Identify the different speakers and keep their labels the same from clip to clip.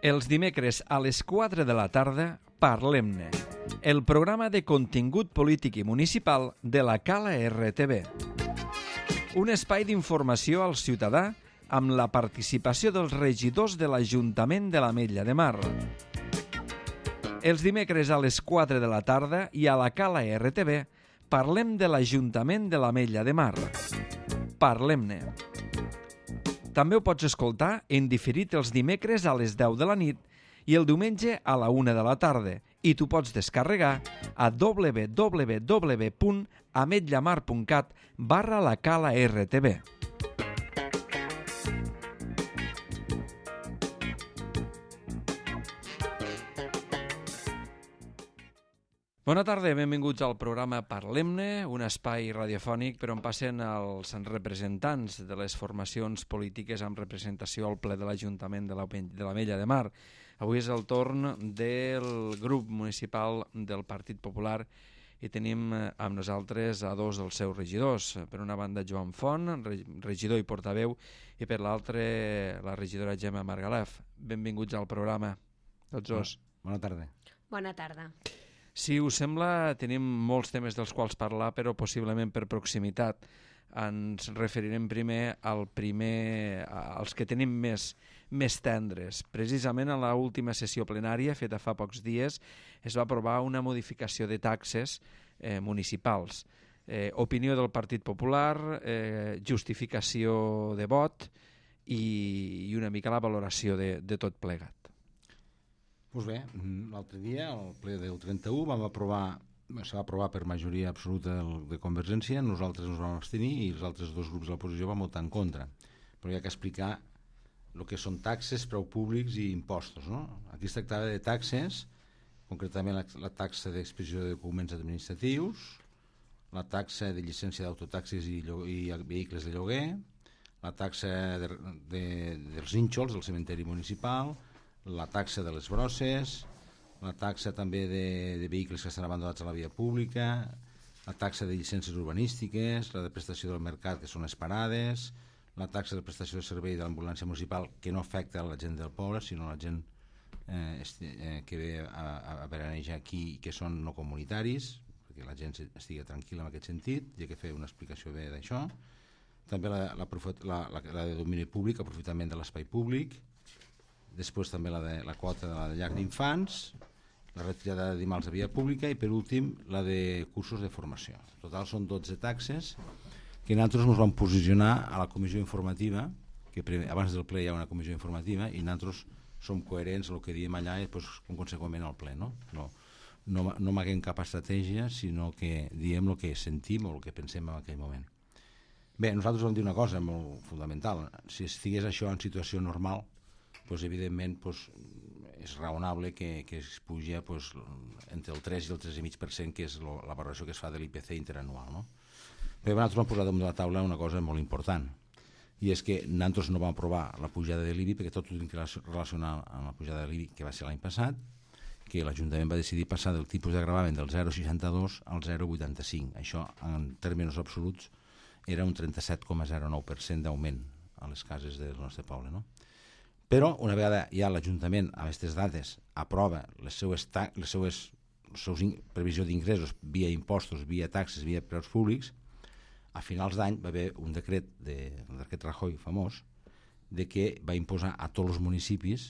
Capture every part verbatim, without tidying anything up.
Speaker 1: Els dimecres a les quatre de la tarda, Parlem-ne, el programa de contingut polític i municipal de la Cala R T V. Un espai d'informació al ciutadà amb la participació dels regidors de l'Ajuntament de l'Ametlla de Mar. Els dimecres a les quatre de la tarda i a la Cala R T V parlem de l'Ajuntament de l'Ametlla de Mar. Parlem-ne. També ho pots escoltar en diferit els dimecres a les deu de la nit i el diumenge a la una de la tarda i t'ho pots descarregar a w w w punt ametllamar punt cat barra la Cala R T V. Bona tarda, benvinguts al programa Parlem-ne, un espai radiofònic per on passen els representants de les formacions polítiques amb representació al ple de l'Ajuntament de l'Ametlla de Mar. Avui és el torn del grup municipal del Partit Popular i tenim amb nosaltres a dos dels seus regidors. Per una banda, Joan Font, regidor i portaveu, i per l'altra, la regidora Gemma Margalef. Benvinguts al programa, tots dos.
Speaker 2: Bona tarda.
Speaker 3: Bona tarda.
Speaker 1: Si us sembla, tenim molts temes dels quals parlar, però possiblement per proximitat. Ens referirem primer al primer, als que tenim més, més tendres. Precisament a l'última sessió plenària, feta fa pocs dies, es va aprovar una modificació de taxes eh, municipals. Eh, opinió del Partit Popular, eh, justificació de vot i, i una mica la valoració de, de tot plegat.
Speaker 2: Doncs bé, l'altre dia, al ple del trenta-u, vam aprovar, s'ha aprovar per majoria absoluta de Convergència, nosaltres ens vam abstenir i els altres dos grups de l'oposició van votar en contra. Però hi ha que explicar el que són taxes, preus públics i impostos, no? Aquí es tractava de taxes, concretament la, la taxa d'expedició de documents administratius, la taxa de llicència d'autotaxis i, i vehicles de lloguer, la taxa de, de, dels nínxols del cementeri municipal, la taxa de les brosses, la taxa també de, de vehicles que estan abandonats a la via pública, la taxa de llicències urbanístiques, la de prestació del mercat, que són les parades, la taxa de prestació de servei de l'ambulància municipal, que no afecta a la gent del poble, sinó a la gent eh, eh, que ve a, a veranejar aquí i que són no comunitaris, perquè la gent estigui tranquil·la en aquest sentit, i ha que fer una explicació bé d'això. També la, la, la, la, la de domini públic, aprofitament de l'espai públic, després també la, de, la quota de la llar d'infants, la retirada d'animals de via pública i per últim la de cursos de formació. En total són dotze taxes que nosaltres ens vam posicionar a la comissió informativa, que primer, abans del ple hi ha una comissió informativa i nosaltres som coherents amb el que diem allà i doncs, conseqüentment al ple. No, no, no, no amaguem cap estratègia, sinó que diem el que sentim o el que pensem en aquell moment. Bé, nosaltres vam dir una cosa molt fundamental. Si estigués això en situació normal, pues, evidentment pues, és raonable que, que es puja pues, entre el tres i el tres coma cinc per cent, que és lo, la valoració que es fa de l'I P C interanual. No? Però nosaltres vam posar damunt de la taula una cosa molt important, i és que nosaltres no vam aprovar la pujada de l'I B I, perquè tot ho tenim que relacionar amb la pujada de l'I B I, que va ser l'any passat, que l'Ajuntament va decidir passar del tipus de gravamen del zero coma seixanta-dos al zero coma vuitanta-cinc. Això, en termes absoluts, era un trenta-set coma zero nou per cent d'augment a les cases del nostre poble, no? Però una vegada ja l'Ajuntament a aquestes dates aprova les seues, ta les seues, les seues previsió d'ingressos via impostos, via taxes, via preus públics, a finals d'any va haver un decret de, el decret Rajoy famós, de que va imposar a tots els municipis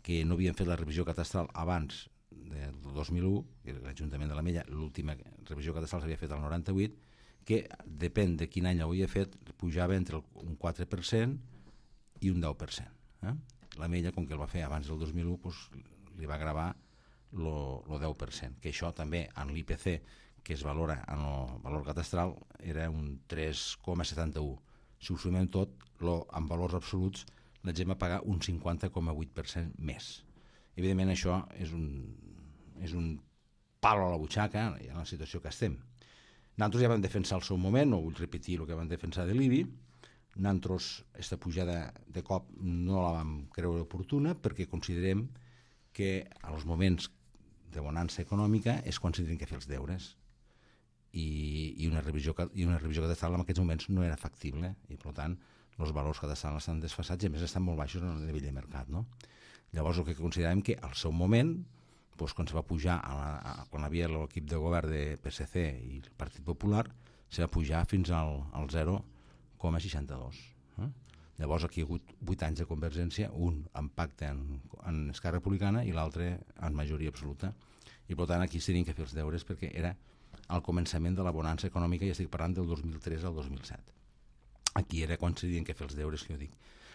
Speaker 2: que no havien fet la revisió catastral abans del dos mil u, que l'Ajuntament de l'Ametlla, l'última revisió catastral s'havia fet al noranta-vuit, que depèn de quin any l'havia fet, pujava entre un quatre per cent i un deu per cent. Eh? L'Ametlla, com que el va fer abans del dos mil u, doncs, li va gravar el deu per cent, que això també en l'I P C, que es valora en el valor catastral, era un tres coma setanta-u. Si ho sumem tot, lo, en valors absoluts, la gent va pagar un cinquanta coma vuit per cent més. Evidentment això és un, és un palo a la butxaca en la situació que estem. Nosaltres ja vam defensar al seu moment, no vull repetir el que vam defensar de l'I B I. Nosaltres aquesta pujada de cop no la vam creure oportuna perquè considerem que als moments de bonança econòmica és quan s'han de fer els deures i, i una revisió i una revisió catastral en aquests moments no era factible i per tant els valors cadastrals estan desfasats i a més estan molt baixos en el nivell de mercat, no? Llavors el que considerem que al seu moment, doncs, quan se va pujar, a la, a, quan hi havia l'equip de govern de P S C i el Partit Popular, se va pujar fins al, al zero coma seixanta-dos. Eh? Llavors aquí hi ha hagut vuit anys de Convergència, un en pacte en, en Esquerra Republicana i l'altre en majoria absoluta. I per tant aquí s'havien que fer els deures perquè era al començament de la bonança econòmica, i estic parlant del dos mil tres al dos mil set. Aquí era quan s'havien que fer els deures, que jo dic.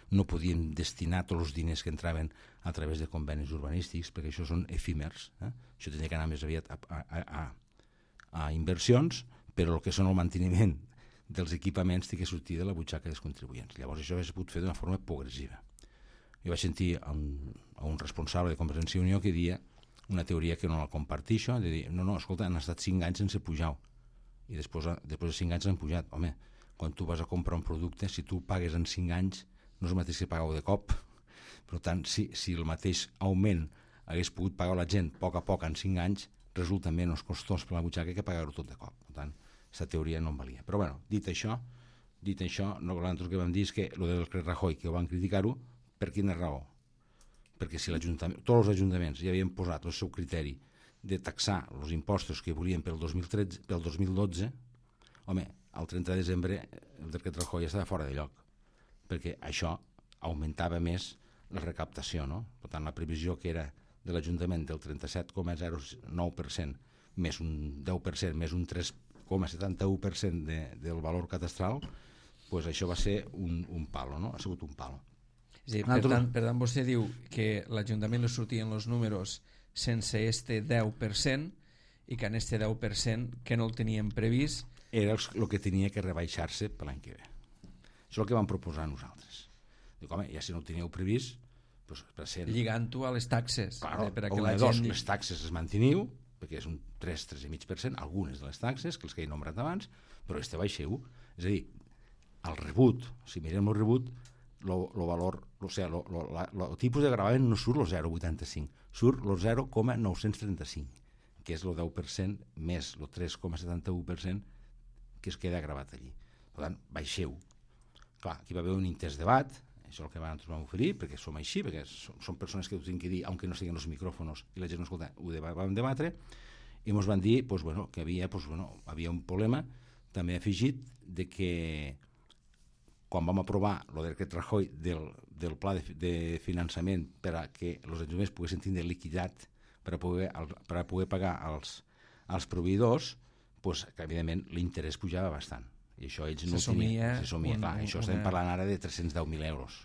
Speaker 2: No podíem destinar tots els diners que entraven a través de convenis urbanístics, perquè això són efímers. Eh? Això tenia que anar més aviat a, a, a, a inversions, però el que són el manteniment dels equipaments té que sortir de la butxaca dels contribuents. Llavors això s'ha pogut fer d'una forma progressiva. Jo vaig sentir a un, a un responsable de Convergència i Unió que deia una teoria que no la compartixo, de dir, no, no, escolta, han estat cinc anys sense pujar, i després, després de cinc anys han pujat. Home, quan tu vas a comprar un producte, si tu pagues en cinc anys, no és el mateix que pagueu de cop. Per tant, si, si el mateix augment hagués pogut pagar la gent a poc a poc en cinc anys, resulta menys costós per la butxaca que pagar-ho tot de cop. Per tant, aquesta teoria no em valia. Però bueno, dit això, dit això, nosaltres que vam dir és que el del Rajoy, que ho van criticar-ho, per quina raó? Perquè si l'Ajuntament, tots els ajuntaments ja havien posat el seu criteri de taxar els impostos que volien pel dos mil tretze, pel dos mil dotze, home, el trenta de desembre el decret Rajoy estava fora de lloc, perquè això augmentava més la recaptació, no? Per tant, la previsió que era de l'Ajuntament del trenta-set coma zero nou per cent més un deu per cent més un tres coma setanta-u per cent de, del valor catastral, pues això va ser un, un palo, no? Ha sigut un palo.
Speaker 1: Sí, per, tant, per tant, vostè diu que l'Ajuntament li sortien els números sense este deu per cent i que en este deu per cent que no el tenien previst
Speaker 2: era el que tenia que rebaixar-se per l'any que ve. Això és el que vam proposar nosaltres. Dic, home, ja si no ho teníeu previst, doncs, per ser...
Speaker 1: lligant-ho a les taxes.
Speaker 2: Claro,
Speaker 1: per a
Speaker 2: que
Speaker 1: la
Speaker 2: gent...
Speaker 1: dos,
Speaker 2: les taxes es manteniu, perquè és un tres, tres coma cinc per cent, algunes de les taxes, que els que he nombrat abans, però este baixeu. És a dir, el rebut, si mirem el rebut, el valor, o sigui, el tipus de gravamen no surt el zero coma vuitanta-cinc, surt el zero coma nou-cents trenta-cinc, que és el deu per cent més el tres coma setanta-u per cent que es queda gravat allí. Per tant, baixeu. Clar, aquí va haver un intens debat, això és el que nosaltres vam oferir, perquè som així, perquè som, som persones que ho tinc que dir, aunque no siguin els micròfonos i la gent no escolta, ho vam debatre, i ens van dir pues, bueno, que havia, pues, bueno, havia un problema també afegit de que quan vam aprovar el decret Rajoy del, del pla de, de finançament per a que els ajuntaments poguessin tindre liquidat per a poder, per a poder pagar als, als proveïdors, pues, que evidentment l'interès pujava bastant. I això ells no
Speaker 1: se
Speaker 2: tenien. Se somia,
Speaker 1: un,
Speaker 2: clar, això
Speaker 1: una...
Speaker 2: estem parlant ara de tres-cents deu mil euros.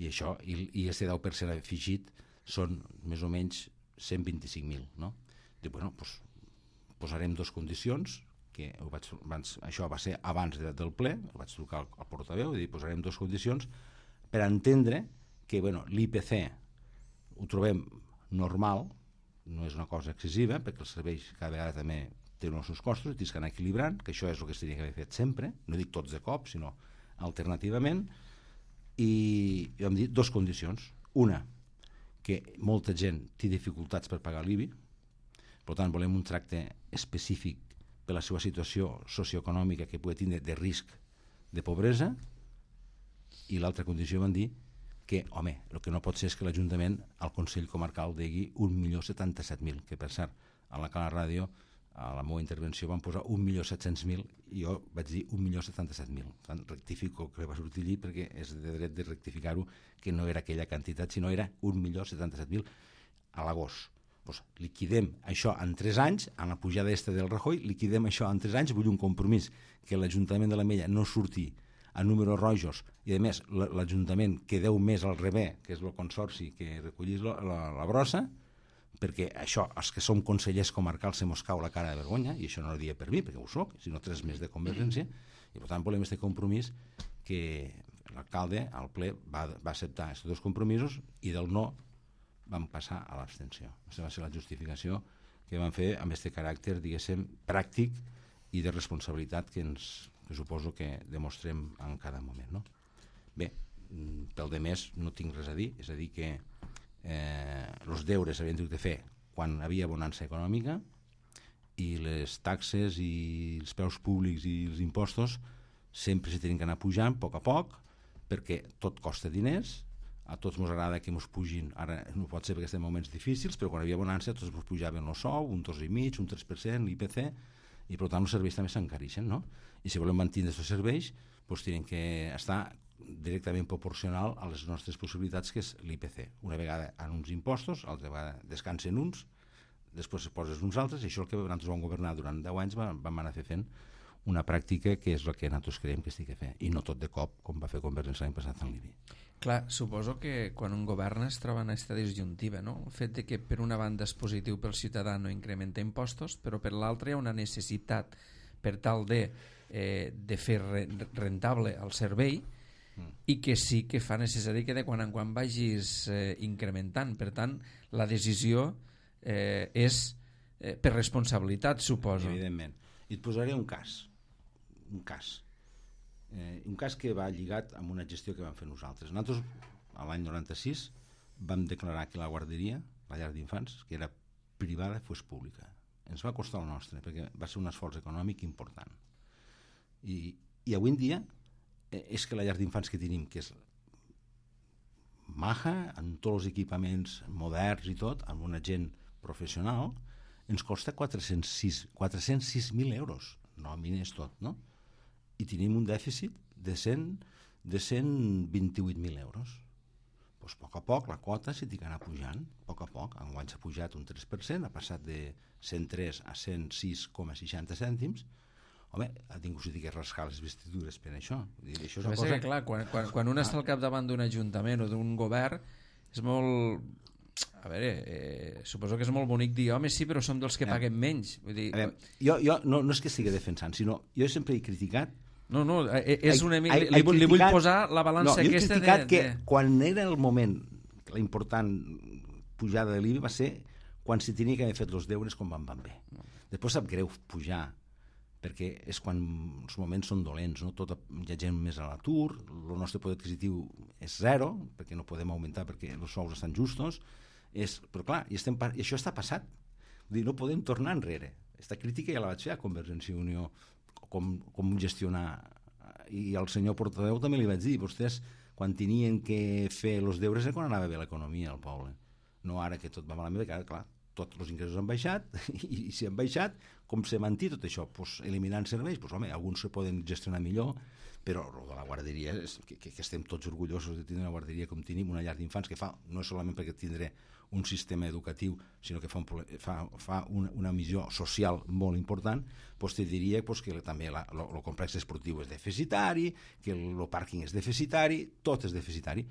Speaker 2: I això, i, i este deu per cent afegit són més o menys cent vint-i-cinc mil, no? Dic, bueno, pues, posarem dues condicions, que ho vaig, abans, això va ser abans de, del ple, ho vaig trucar al, al portaveu i dir, posarem dues condicions per entendre que, bueno, l'I P C ho trobem normal, no és una cosa excessiva, perquè els serveis cada vegada també tenen els seus costos, i tens que anar equilibrant, que això és el que es tenia que haver fet sempre, no dic tots de cop, sinó alternativament, i, i vam dir dues condicions. Una, que molta gent té dificultats per pagar l'I B I, per tant volem un tracte específic per la seva situació socioeconòmica que pugui tindre de risc de pobresa, i l'altra condició van dir que, home, el que no pot ser és que l'Ajuntament al Consell Comarcal digui un milió setanta-set mil, que per cert, a la Cala Ràdio, a la meva intervenció van posar un milió set-cents mil i jo vaig dir un milió setanta-set mil. Tant rectifico que va sortir allí perquè és de dret de rectificar-ho, que no era aquella quantitat, sinó era un milió setanta-set mil a l'agost. Pues liquidem això en tres anys, en la pujada aquesta del Rajoy, liquidem això en tres anys, vull un compromís que l'Ajuntament de l'Ametlla no surti a números rojos i a més l'Ajuntament que deu més al rebé, que és el consorci que recollís la, la, la brossa, perquè això, els que som consellers comarcals se mos cau la cara de vergonya, i això no ho dia per mi, perquè ho soc, sinó tres més de Convergència, i per tant volem aquest compromís que l'alcalde al ple va, va acceptar aquests dos compromisos i del no vam passar a l'abstenció. Aquesta va ser la justificació que vam fer amb aquest caràcter, diguéssim, pràctic i de responsabilitat que ens que suposo que demostrem en cada moment, no? Bé, pel de més no tinc res a dir, és a dir que eh, els deures s'havien de fer quan hi havia bonança econòmica i les taxes i els preus públics i els impostos sempre s'hi tenen que anar pujant a poc a poc perquè tot costa diners, a tots ens agrada que ens pugin, ara no pot ser perquè estem en moments difícils, però quan hi havia bonança tots ens pujaven el sou, un dos i mig, un tres per cent, l'I P C, i per tant els serveis també s'encareixen, no? I si volem mantenir aquests serveis, doncs tenen que estar directament proporcional a les nostres possibilitats, que és l'I P C. Una vegada en uns impostos, altra vegada descansen uns, després es poses uns altres, i això és el que nosaltres vam governar durant deu anys, vam, vam anar fent una pràctica que és el que nosaltres creiem que estic a fer, i no tot de cop, com va fer Convergència l'any passat en l'I B I.
Speaker 1: Clar, suposo que quan un govern es troba en aquesta disjuntiva, no? El fet de que per una banda és positiu pel ciutadà no incrementa impostos, però per l'altra hi ha una necessitat per tal de, eh, de fer rentable el servei, mm. i que sí que fa necessari que de quan en quan vagis eh, incrementant. Per tant, la decisió eh, és eh, per responsabilitat, suposo.
Speaker 2: Evidentment. I et posaré un cas. Un cas. Eh, un cas que va lligat amb una gestió que vam fer nosaltres. Nosaltres, a l'any noranta-sis, vam declarar que la guarderia, la llar d'infants, que era privada, fos pública. Ens va costar el nostre, perquè va ser un esforç econòmic important. I, i avui en dia eh, és que la llar d'infants que tenim, que és maja, amb tots els equipaments moderns i tot, amb una gent professional, ens costa quatre-cents sis mil euros, nòmines tot, no? I tenim un dèficit de cent vint-i-vuit mil euros. Doncs a poc a poc la quota s'ha d'anar pujant, a poc a poc. Enguany s'ha pujat un tres per cent, ha passat de cent tres a cent sis coma seixanta cèntims. Home, ha tingut que rascar les vestidures per això. Dir, això és una cosa...
Speaker 1: que, clar, quan, quan, quan un està al capdavant d'un ajuntament o d'un govern, és molt... A veure, eh, suposo que és molt bonic dir, home, sí, però som dels que paguen menys. Vull dir...
Speaker 2: veure, jo jo no, no és que estigui defensant, sinó jo sempre he criticat...
Speaker 1: No, no, és una, li, li, li, li vull posar la balança
Speaker 2: no,
Speaker 1: aquesta de...
Speaker 2: Jo he criticat de, que de... quan era el moment, la important pujada de l'I B I va ser quan s'hi tenia que haver fet els deures com van, van bé. Després sap greu pujar, perquè és quan els moments són dolents, no? Tot, hi ha gent més a l'atur, el nostre poder adquisitiu és zero, perquè no podem augmentar perquè els sous estan justos, és, però clar, i, estem, i això està passat. Vull dir, no podem tornar enrere. Aquesta crítica ja la vaig fer a Convergència i Unió, com, com gestionar, i al senyor portaveu també li vaig dir, vostès quan tenien que fer els deures és quan anava bé l'economia al poble, no ara que tot va malament, que ara, clar, tots els ingressos han baixat, i, i si han baixat, com se manté tot això? Pues, eliminant serveis, pues, home, alguns se poden gestionar millor, però el de la guarderia, és que, que, que estem tots orgullosos de tenir una guarderia com tenim, una llar d'infants, que fa, no és solament perquè tindré un sistema educatiu, sinó que fa, un, fa, fa una, una missió social molt important, doncs te diria doncs, que també el complex esportiu és deficitari, que el pàrquing és deficitari, tot és deficitari.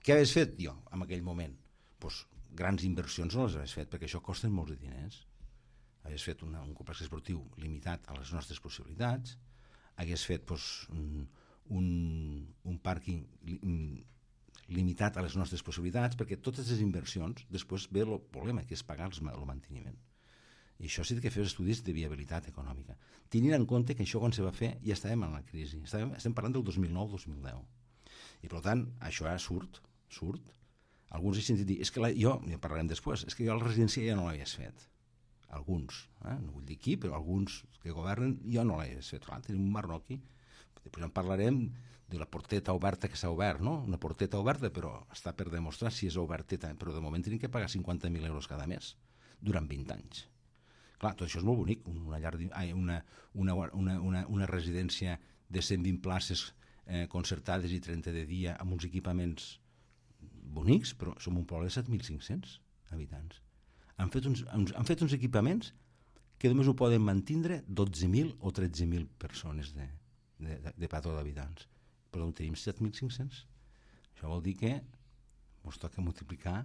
Speaker 2: Què havies fet jo en aquell moment? Doncs grans inversions no les havies fet, perquè això costa molts de diners. Havies fet una, un complex esportiu limitat a les nostres possibilitats, hagués fet doncs, un, un pàrquing limitat a les nostres possibilitats, perquè totes les inversions després ve el problema, que és pagar el manteniment. I això sí que fer estudis de viabilitat econòmica. Tenint en compte que això quan se va fer ja estàvem en la crisi, estàvem, estem parlant del dos mil nou dos mil deu. I per tant, això ja surt, surt. Alguns he sentit dir, és que la, jo, ja parlarem després, és que jo la residència ja no l'havies fet. Alguns, eh? No vull dir qui, però alguns que governen jo no l'havies fet. Clar, tenim un marroqui, després en parlarem de la porteta oberta que s'ha obert, no? Una porteta oberta, però està per demostrar si és oberteta, però de moment tenim que pagar cinquanta mil euros cada mes durant vint anys. Clar, tot això és molt bonic, una, llar, una, una, una, una, una residència de cent vint places eh, concertades i trenta de dia amb uns equipaments bonics, però som un poble de set mil cinc-cents habitants. Han fet uns, han fet uns equipaments que només ho poden mantindre dotze mil o tretze mil persones de, de, de, de pató d'habitants. Però en tenim set mil cinc-cents. Això vol dir que ens toca multiplicar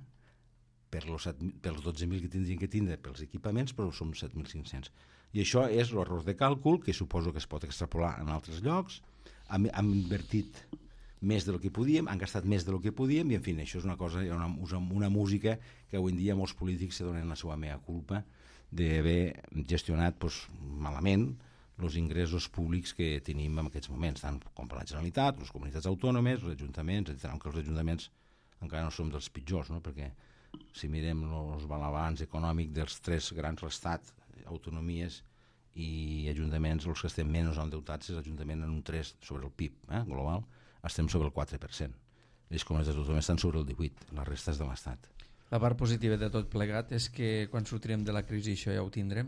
Speaker 2: per els, per els dotze mil que tindrien que tindre pels equipaments, però som set mil cinc-cents. I això és l'error de càlcul, que suposo que es pot extrapolar en altres llocs. Hem, hem invertit més del que podíem, han gastat més del que podíem, i en fi, això és una cosa, una, una música que avui en dia molts polítics se donen la seva mea culpa d'haver gestionat doncs, malament els ingressos públics que tenim en aquests moments, tant com per la Generalitat, les comunitats autònomes, els ajuntaments, etcètera. Aunque els ajuntaments encara no som dels pitjors, no? Perquè si mirem els balanç econòmic dels tres grans, l'Estat, autonomies i ajuntaments, els que estem menys endeutats és l'Ajuntament en un tres sobre el P I B eh, global, estem sobre el quatre per cent. les comunitats autònomes estan sobre el divuit, la resta és de l'Estat.
Speaker 1: La part positiva de tot plegat és que quan sortirem de la crisi això ja ho tindrem?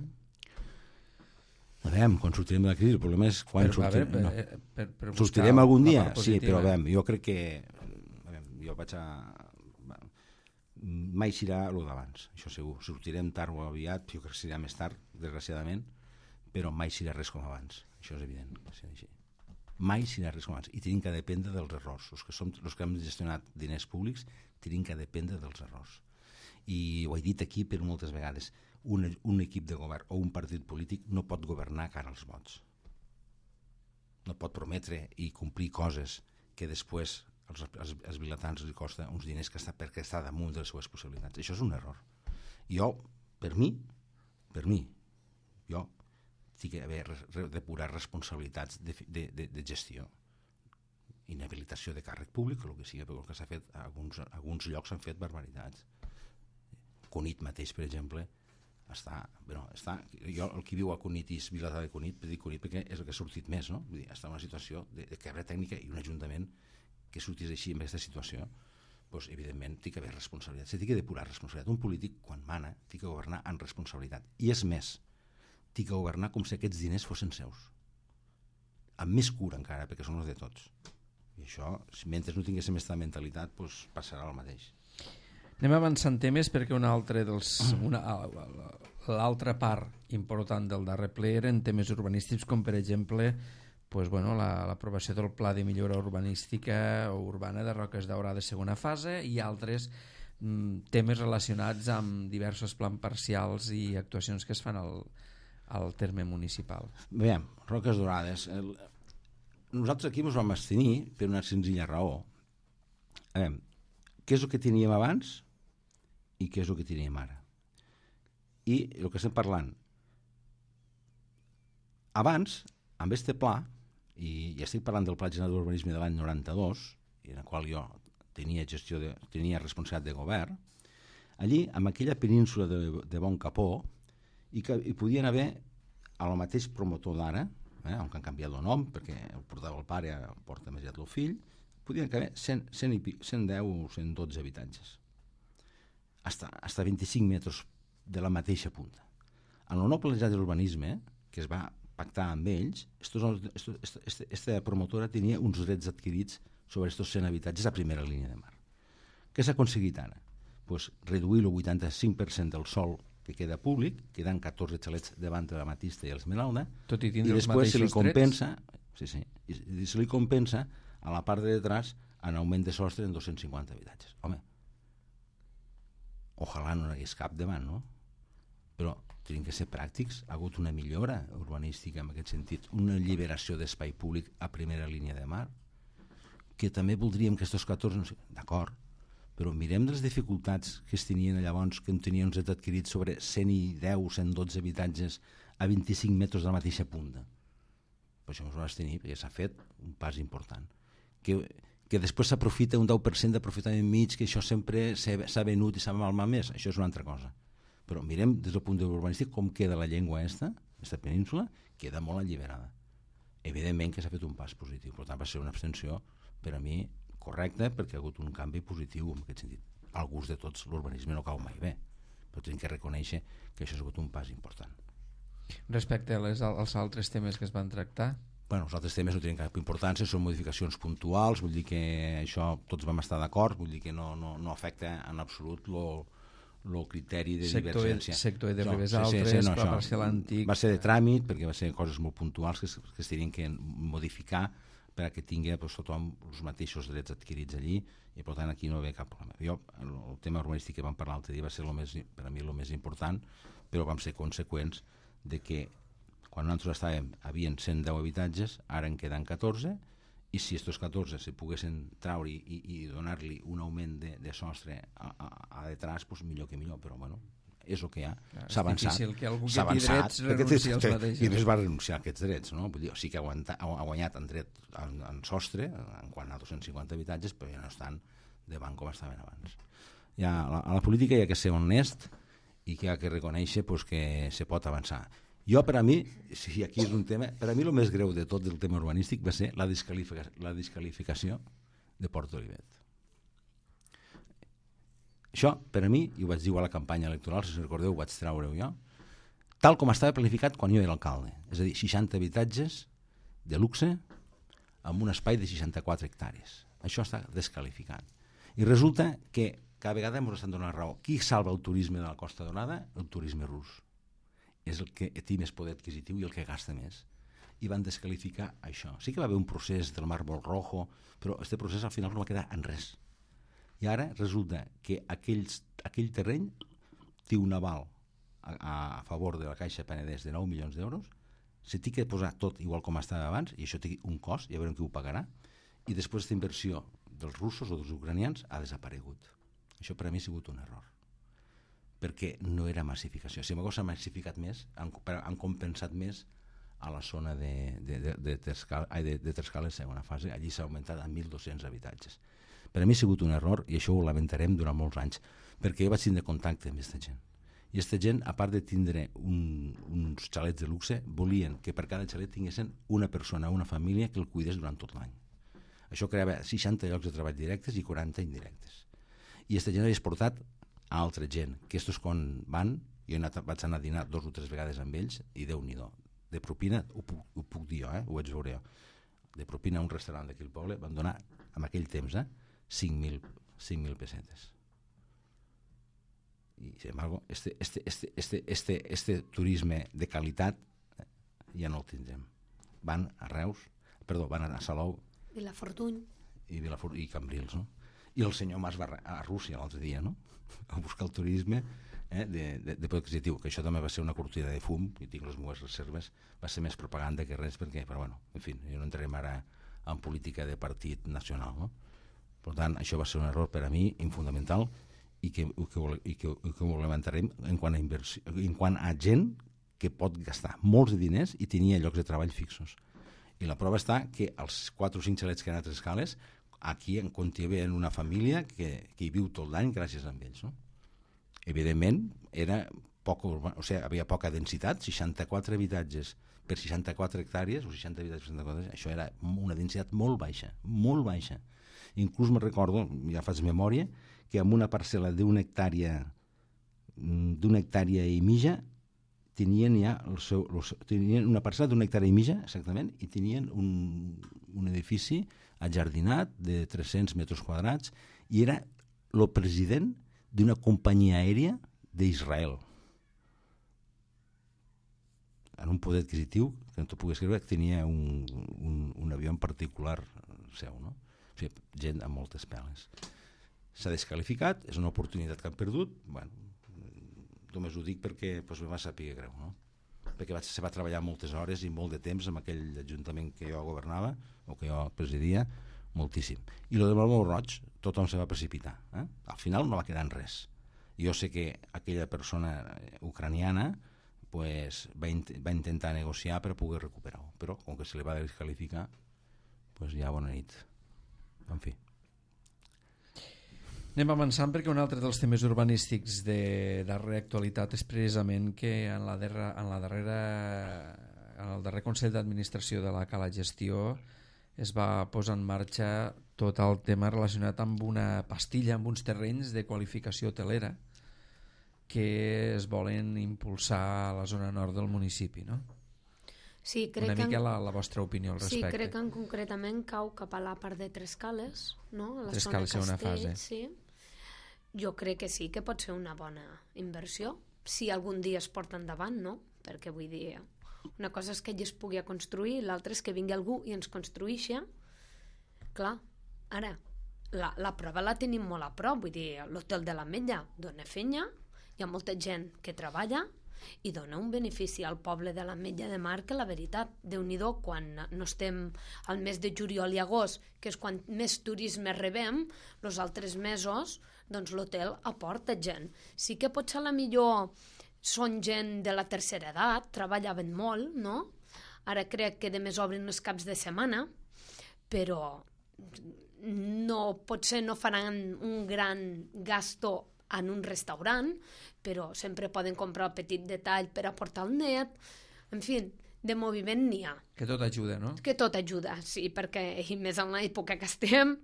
Speaker 2: A veure, quan sortirem de la crisi, el problema és quan
Speaker 1: per,
Speaker 2: sortirem...
Speaker 1: Per,
Speaker 2: no.
Speaker 1: per, per, per
Speaker 2: sortirem algun dia? Sí, però a veure, jo crec que... A veure, jo vaig a... Mai serà el d'abans, això segur. Sortirem tard o aviat, jo crec que serà més tard, desgraciadament, però mai serà res com abans. Això és evident que serà així. Mai serà res com abans. I tenim que dependre dels errors. Els que, som, els que hem gestionat diners públics tenim que dependre dels errors. I ho he dit aquí per moltes vegades, un, un equip de govern o un partit polític no pot governar cara als vots. No pot prometre i complir coses que després als, als, als vilatans li costa uns diners que està, perquè està damunt de les seves possibilitats. Això és un error. Jo, per mi, per mi, jo tinc que haver depurar responsabilitats de, de, de, de gestió. Inhabilitació de càrrec públic, o el que sigui, perquè el que s'ha fet, a alguns, a alguns llocs s'han fet barbaritats. Cunit mateix, per exemple, està, bueno, està, jo el que viu a Cunit i és Vilatà de Cunit, per dir Cunit perquè és el que ha sortit més, no? Vull dir, està en una situació de, de quebra tècnica i un ajuntament que sortís així en aquesta situació, doncs, evidentment, té que haver responsabilitat. Se té que depurar responsabilitat. Un polític, quan mana, té que governar amb responsabilitat. I és més, té que governar com si aquests diners fossin seus. Amb més cura encara, perquè són els de tots. I això, mentre no tinguéssim aquesta mentalitat, doncs, passarà el mateix.
Speaker 1: Anem avançant temes perquè una altra dels, una, l'altra part important del darrer ple eren temes urbanístics com per exemple pues, bueno, la, l'aprovació del Pla de Millora Urbanística o Urbana de Roques Daurades segona fase i altres mm, temes relacionats amb diversos plans parcials i actuacions que es fan al, al terme municipal.
Speaker 2: Veiem, Roques Daurades, el... nosaltres aquí ens vam abstenir per una senzilla raó. A veure, què és el que teníem abans i què és el que teníem ara. I el que estem parlant abans, amb este pla, i ja estic parlant del Pla General d'Urbanisme de l'any noranta-dos, en el qual jo tenia gestió de, tenia responsabilitat de govern, allí, amb aquella península de, de Bon Capó, i que hi podien haver el mateix promotor d'ara, eh, on han canviat el nom, perquè el portava el pare, el porta més aviat el fill, podien haver cent, cent, cent deu o cent dotze habitatges. Hasta, hasta vint-i-cinc metres de la mateixa punta. En el nou planejat de l'urbanisme, que es va pactar amb ells, aquesta promotora tenia uns drets adquirits sobre aquests cent habitatges a primera línia de mar. Què s'ha aconseguit ara? Pues reduir el vuitanta-cinc per cent del sòl que queda públic, queden catorze xalets davant de la Matista i l'Esmeralda,
Speaker 1: tot i
Speaker 2: i
Speaker 1: tindre els
Speaker 2: després se li
Speaker 1: mateixos
Speaker 2: compensa,
Speaker 1: drets.
Speaker 2: sí, sí, i, i se li compensa a la part de detrás en augment de sostre en dos-cents cinquanta habitatges. Home, ojalà no n'hi hagués cap davant, no? Però tenim que ser pràctics. Ha hagut una millora urbanística en aquest sentit, una alliberació d'espai públic a primera línia de mar, que també voldríem que aquests catorze... No sé, d'acord, però mirem les dificultats que es tenien llavors, que en tenien uns drets adquirits sobre cent deu o cent dotze habitatges a vint-i-cinc metres de la mateixa punta. Per això ens ho vas tenir, perquè s'ha fet un pas important. Que, que després s'aprofita un deu per cent d'aprofitament mig, que això sempre s'ha venut i s'ha malmat més, això és una altra cosa. Però mirem des del punt de l'urbanístic com queda la llengua esta, aquesta península, queda molt alliberada. Evidentment que s'ha fet un pas positiu, per tant va ser una abstenció per a mi correcta, perquè ha hagut un canvi positiu en aquest sentit. Al gust de tots l'urbanisme no cau mai bé, però tenim que reconèixer que això ha sigut un pas important.
Speaker 1: Respecte a les, als altres temes que es van tractar?
Speaker 2: Bueno, els altres temes no tenen cap importància, són modificacions puntuals, vull dir que això tots vam estar d'acord, vull dir que no, no, no afecta en absolut el criteri de
Speaker 1: sector,
Speaker 2: divergència.
Speaker 1: Sector de Ribes
Speaker 2: no,
Speaker 1: Altres,
Speaker 2: sí, sí, no,
Speaker 1: Pla Parcial Antic...
Speaker 2: Va ser de tràmit, perquè va ser coses molt puntuals que es, que es tenien que modificar per a que tingui pues, tothom els mateixos drets adquirits allí, i per tant aquí no hi ha cap problema. Jo, el, el tema urbanístic que vam parlar l'altre dia va ser lo més, per a mi el més important, però vam ser conseqüents de que quan nosaltres estàvem, havien cent deu habitatges, ara en queden catorze, i si aquests catorze se poguessin traure i, i, i donar-li un augment de, de sostre a, a, a detrás, pues millor que millor, però bueno, és el que hi ha. S'ha avançat.
Speaker 1: És difícil que algú
Speaker 2: que té
Speaker 1: drets renunci als mateixos.
Speaker 2: I més va renunciar a aquests drets, no? Vull dir, o sigui que ha, aguantat, ha guanyat en dret en, en sostre, en quant a dos-cents cinquanta habitatges, però ja no estan davant com estaven abans. Ja, a, la, a la política hi ha que ser honest i que hi ha que reconèixer pues, que se pot avançar. Jo, per a mi, si aquí és un tema, per a mi el més greu de tot del tema urbanístic va ser la desqualificació, la desqualificació de Port Olivet. Això, per a mi, i ho vaig dir a la campanya electoral, si us recordeu, ho vaig treure-ho jo, tal com estava planificat quan jo era alcalde. És a dir, seixanta habitatges de luxe amb un espai de seixanta-quatre hectàrees. Això està desqualificat. I resulta que cada vegada ens estan donant raó. Qui salva el turisme de la Costa Daurada? El turisme rus. És el que té més poder adquisitiu i el que gasta més. I van desqualificar això. Sí que va haver un procés del Màrbol Rojo, però aquest procés al final no va quedar en res. I ara resulta que aquells, aquell terreny té un aval a, a favor de la Caixa Penedès de nou milions d'euros, se té que posar tot igual com estava abans, i això té un cost, ja veurem qui ho pagarà, i després aquesta inversió dels russos o dels ucranians ha desaparegut. Això per a mi ha sigut un error, perquè no era massificació. Si s'ha massificat més, han, han compensat més a la zona de, de, de, de, Trescal, ai, de, de Trescales segona fase, allí s'ha augmentat a mil dos-cents habitatges. Per a mi ha sigut un error i això ho lamentarem durant molts anys, perquè jo vaig tindre contacte amb aquesta gent. I aquesta gent, a part de tindre un, uns xalets de luxe, volien que per cada xalet tinguessin una persona, una família que el cuidés durant tot l'any. Això creava seixanta llocs de treball directes i quaranta indirectes. I aquesta gent havia exportat a altra gent, que estos quan van, jo anat, vaig anar a dinar dos o tres vegades amb ells, i Déu-n'hi-do. De propina, ho puc, ho puc dir jo, eh? Ho vaig veure jo, de propina a un restaurant d'aquí al poble van donar, en aquell temps, eh, cinc mil pessetes. I, sin embargo, este, este, este, este, este, este turisme de qualitat eh, ja no el tindrem. Van a Reus, perdó, van a Salou,
Speaker 3: Vilafortuny
Speaker 2: i, Vilafor i Cambrils, no? I el senyor Mas va a Rússia l'altre dia, no? A buscar el turisme eh, de, de, de poder adquisitiu, que això també va ser una cortina de fum, i tinc les meves reserves, va ser més propaganda que res, perquè, però bueno, en fi, jo no entrarem ara en política de partit nacional, no? Per tant, això va ser un error per a mi infundamental i que, i que, i que, i que ho lamentarem en quant a inversió, en quant a gent que pot gastar molts de diners i tenia llocs de treball fixos. I la prova està que els quatre o cinc xalets que han a Trescales, aquí en contiven una família que, que hi viu tot l'any gràcies a ells, no? Evidentment, era poc, o sigui, havia poca densitat, seixanta-quatre habitatges per seixanta-quatre hectàrees, o seixanta habitatges per seixanta-quatre, això era una densitat molt baixa, molt baixa. Inclús me recordo, ja faig memòria, que amb una parcel·la d'una hectàrea d'una hectàrea i mitja tenien ja el seu, el seu, tenien una parcel·la d'una hectàrea i mitja, exactament, i tenien un, un edifici ajardinat de tres-cents metres quadrats i era el president d'una companyia aèria d'Israel. En un poder adquisitiu, que no t'ho puguis creure, que tenia un, un, un avió en particular seu, no? O sigui, gent amb moltes peles. S'ha desqualificat, és una oportunitat que han perdut, bueno, només ho dic perquè doncs, me va saber greu, no? Perquè vaig, se va treballar moltes hores i molt de temps en aquell ajuntament que jo governava o que jo presidia, moltíssim. I el de Malmou Roig, tothom se va precipitar. Eh? Al final no va quedar en res. Jo sé que aquella persona ucraniana pues, va, int va intentar negociar per poder recuperar-ho, però com que se li va desqualificar, pues, ja bona nit. En fi.
Speaker 1: Anem avançant perquè un altre dels temes urbanístics de darrera actualitat és precisament que en, la darrera, en, la darrera, en el darrer Consell d'Administració de la Cala Gestió es va posar en marxa tot el tema relacionat amb una pastilla, amb uns terrenys de qualificació hotelera que es volen impulsar a la zona nord del municipi, no?
Speaker 3: Sí, crec
Speaker 1: una mica
Speaker 3: en...
Speaker 1: la, la vostra opinió al respecte.
Speaker 3: Sí, crec que en concretament cau cap a la part de Trescales, no? A la
Speaker 1: Trescales
Speaker 3: zona
Speaker 1: segona fase.
Speaker 3: Sí. Jo crec que sí, que pot ser una bona inversió, si algun dia es porta endavant, no? Perquè vull dir, una cosa és que ell es pugui construir, l'altra és que vingui algú i ens construïixi. Clar, ara, la, la prova la tenim molt a prop, vull dir, l'hotel de l'Ametlla dona feina, hi ha molta gent que treballa i dona un benefici al poble de l'Ametlla de Mar que la veritat, Déu-n'hi-do, quan no estem al mes de juliol i agost, que és quan més turisme rebem, els altres mesos doncs l'hotel aporta gent. Sí que potser a la millor són gent de la tercera edat, treballaven molt, no? Ara crec que demés obren els caps de setmana, però no, potser no faran un gran gasto en un restaurant, però sempre poden comprar el petit detall per aportar el net. En fi, de moviment n'hi ha.
Speaker 1: Que tot ajuda, no?
Speaker 3: Que tot ajuda, sí, perquè i més en l'època que estem,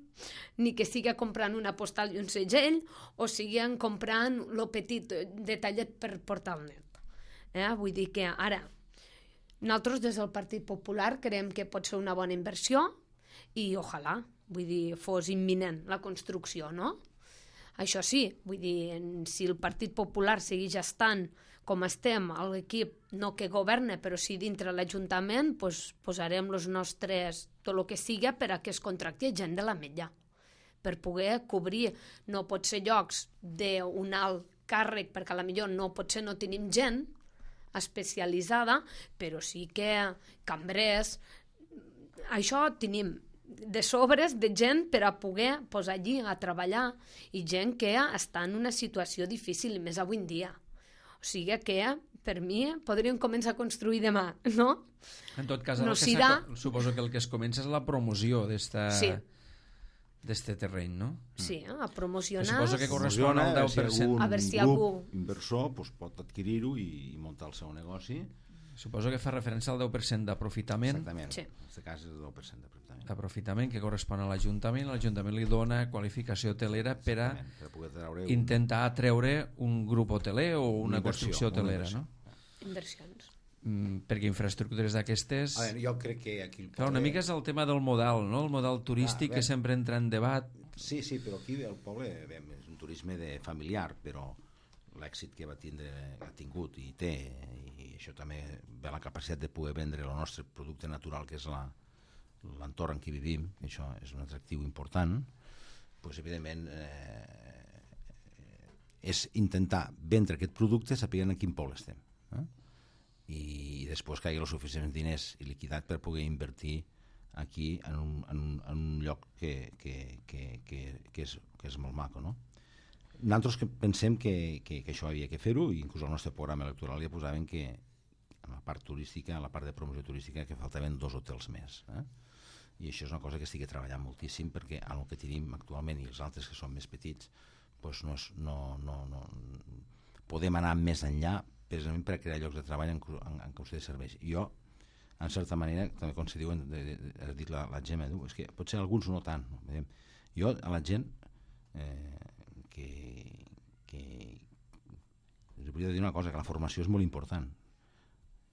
Speaker 3: ni que siga comprant una postal i un segell o siguin comprant lo petit detallet per portar al net. Eh? Vull dir que ara nosaltres des del Partit Popular creiem que pot ser una bona inversió i ojalà, vull dir, fos imminent la construcció, no? Això sí, vull dir, si el Partit Popular segueix estant com estem, l'equip no que governa, però sí dintre l'Ajuntament, pues, posarem els nostres, tot el que siga per a que es contracti gent de l'Ametlla, per poder cobrir. No pot ser llocs d'un alt càrrec, perquè potser no potser no tenim gent especialitzada, però sí que cambrers, això tenim de sobres de gent per a poder posar allí a treballar i gent que està en una situació difícil, més avui en dia. O sigui que, per mi, podríem començar a construir demà, no?
Speaker 1: En tot cas,
Speaker 3: no
Speaker 1: el que
Speaker 3: serà...
Speaker 1: suposo que el que es comença és la promoció d'esta...
Speaker 3: Sí.
Speaker 1: d'este terreny, no?
Speaker 3: Sí, a promocionar...
Speaker 1: Suposo que correspon al deu per cent.
Speaker 3: A veure si
Speaker 2: grup
Speaker 3: algú...
Speaker 2: inversor pues, pot adquirir-ho i, i muntar el seu negoci.
Speaker 1: Suposo que fa referència al deu per cent d'aprofitament.
Speaker 2: Exactament,
Speaker 3: sí.
Speaker 2: En aquest cas és el deu per cent d'aprofitament.
Speaker 1: D'aprofitament que correspon a l'Ajuntament. L'Ajuntament li dona qualificació hotelera per a
Speaker 2: per a poder treure un...
Speaker 1: intentar atreure un grup hoteler o una,
Speaker 2: una inversió,
Speaker 1: construcció hotelera,
Speaker 2: una
Speaker 1: no?
Speaker 3: Inversions.
Speaker 1: Mm, perquè infraestructures d'aquestes...
Speaker 2: A veure, jo crec que aquí... El
Speaker 1: Clar, una mica és el tema del model, no? El model turístic
Speaker 2: Clar,
Speaker 1: que sempre entra en debat.
Speaker 2: Sí, sí, però aquí el poble bé, és un turisme de familiar, però l'èxit que va tindre, ha tingut i té, i això també ve la capacitat de poder vendre el nostre producte natural, que és la, l'entorn en què vivim, això és un atractiu important, doncs evidentment eh, és intentar vendre aquest producte sapiguent en quin poble estem. Eh? I, i després que hi hagi els suficients diners i liquidat per poder invertir aquí en un, en un, en un lloc que, que, que, que, que, és, que és molt maco, no? Nosaltres que pensem que, que, que això havia que fer-ho, i inclús al nostre programa electoral ja posaven que en la part turística, en la part de promoció turística, que faltaven dos hotels més. Eh? I això és una cosa que estic treballant moltíssim, perquè en el que tenim actualment i els altres que són més petits, doncs no, és, no, no, no podem anar més enllà precisament per a crear llocs de treball en, en, en qüestió de serveis. Jo, en certa manera, també com se diuen, de, de, de, has dit la, la Gemma, és que potser alguns no tant. No? Jo, a la gent eh, que, que us hauria de dir una cosa, que la formació és molt important.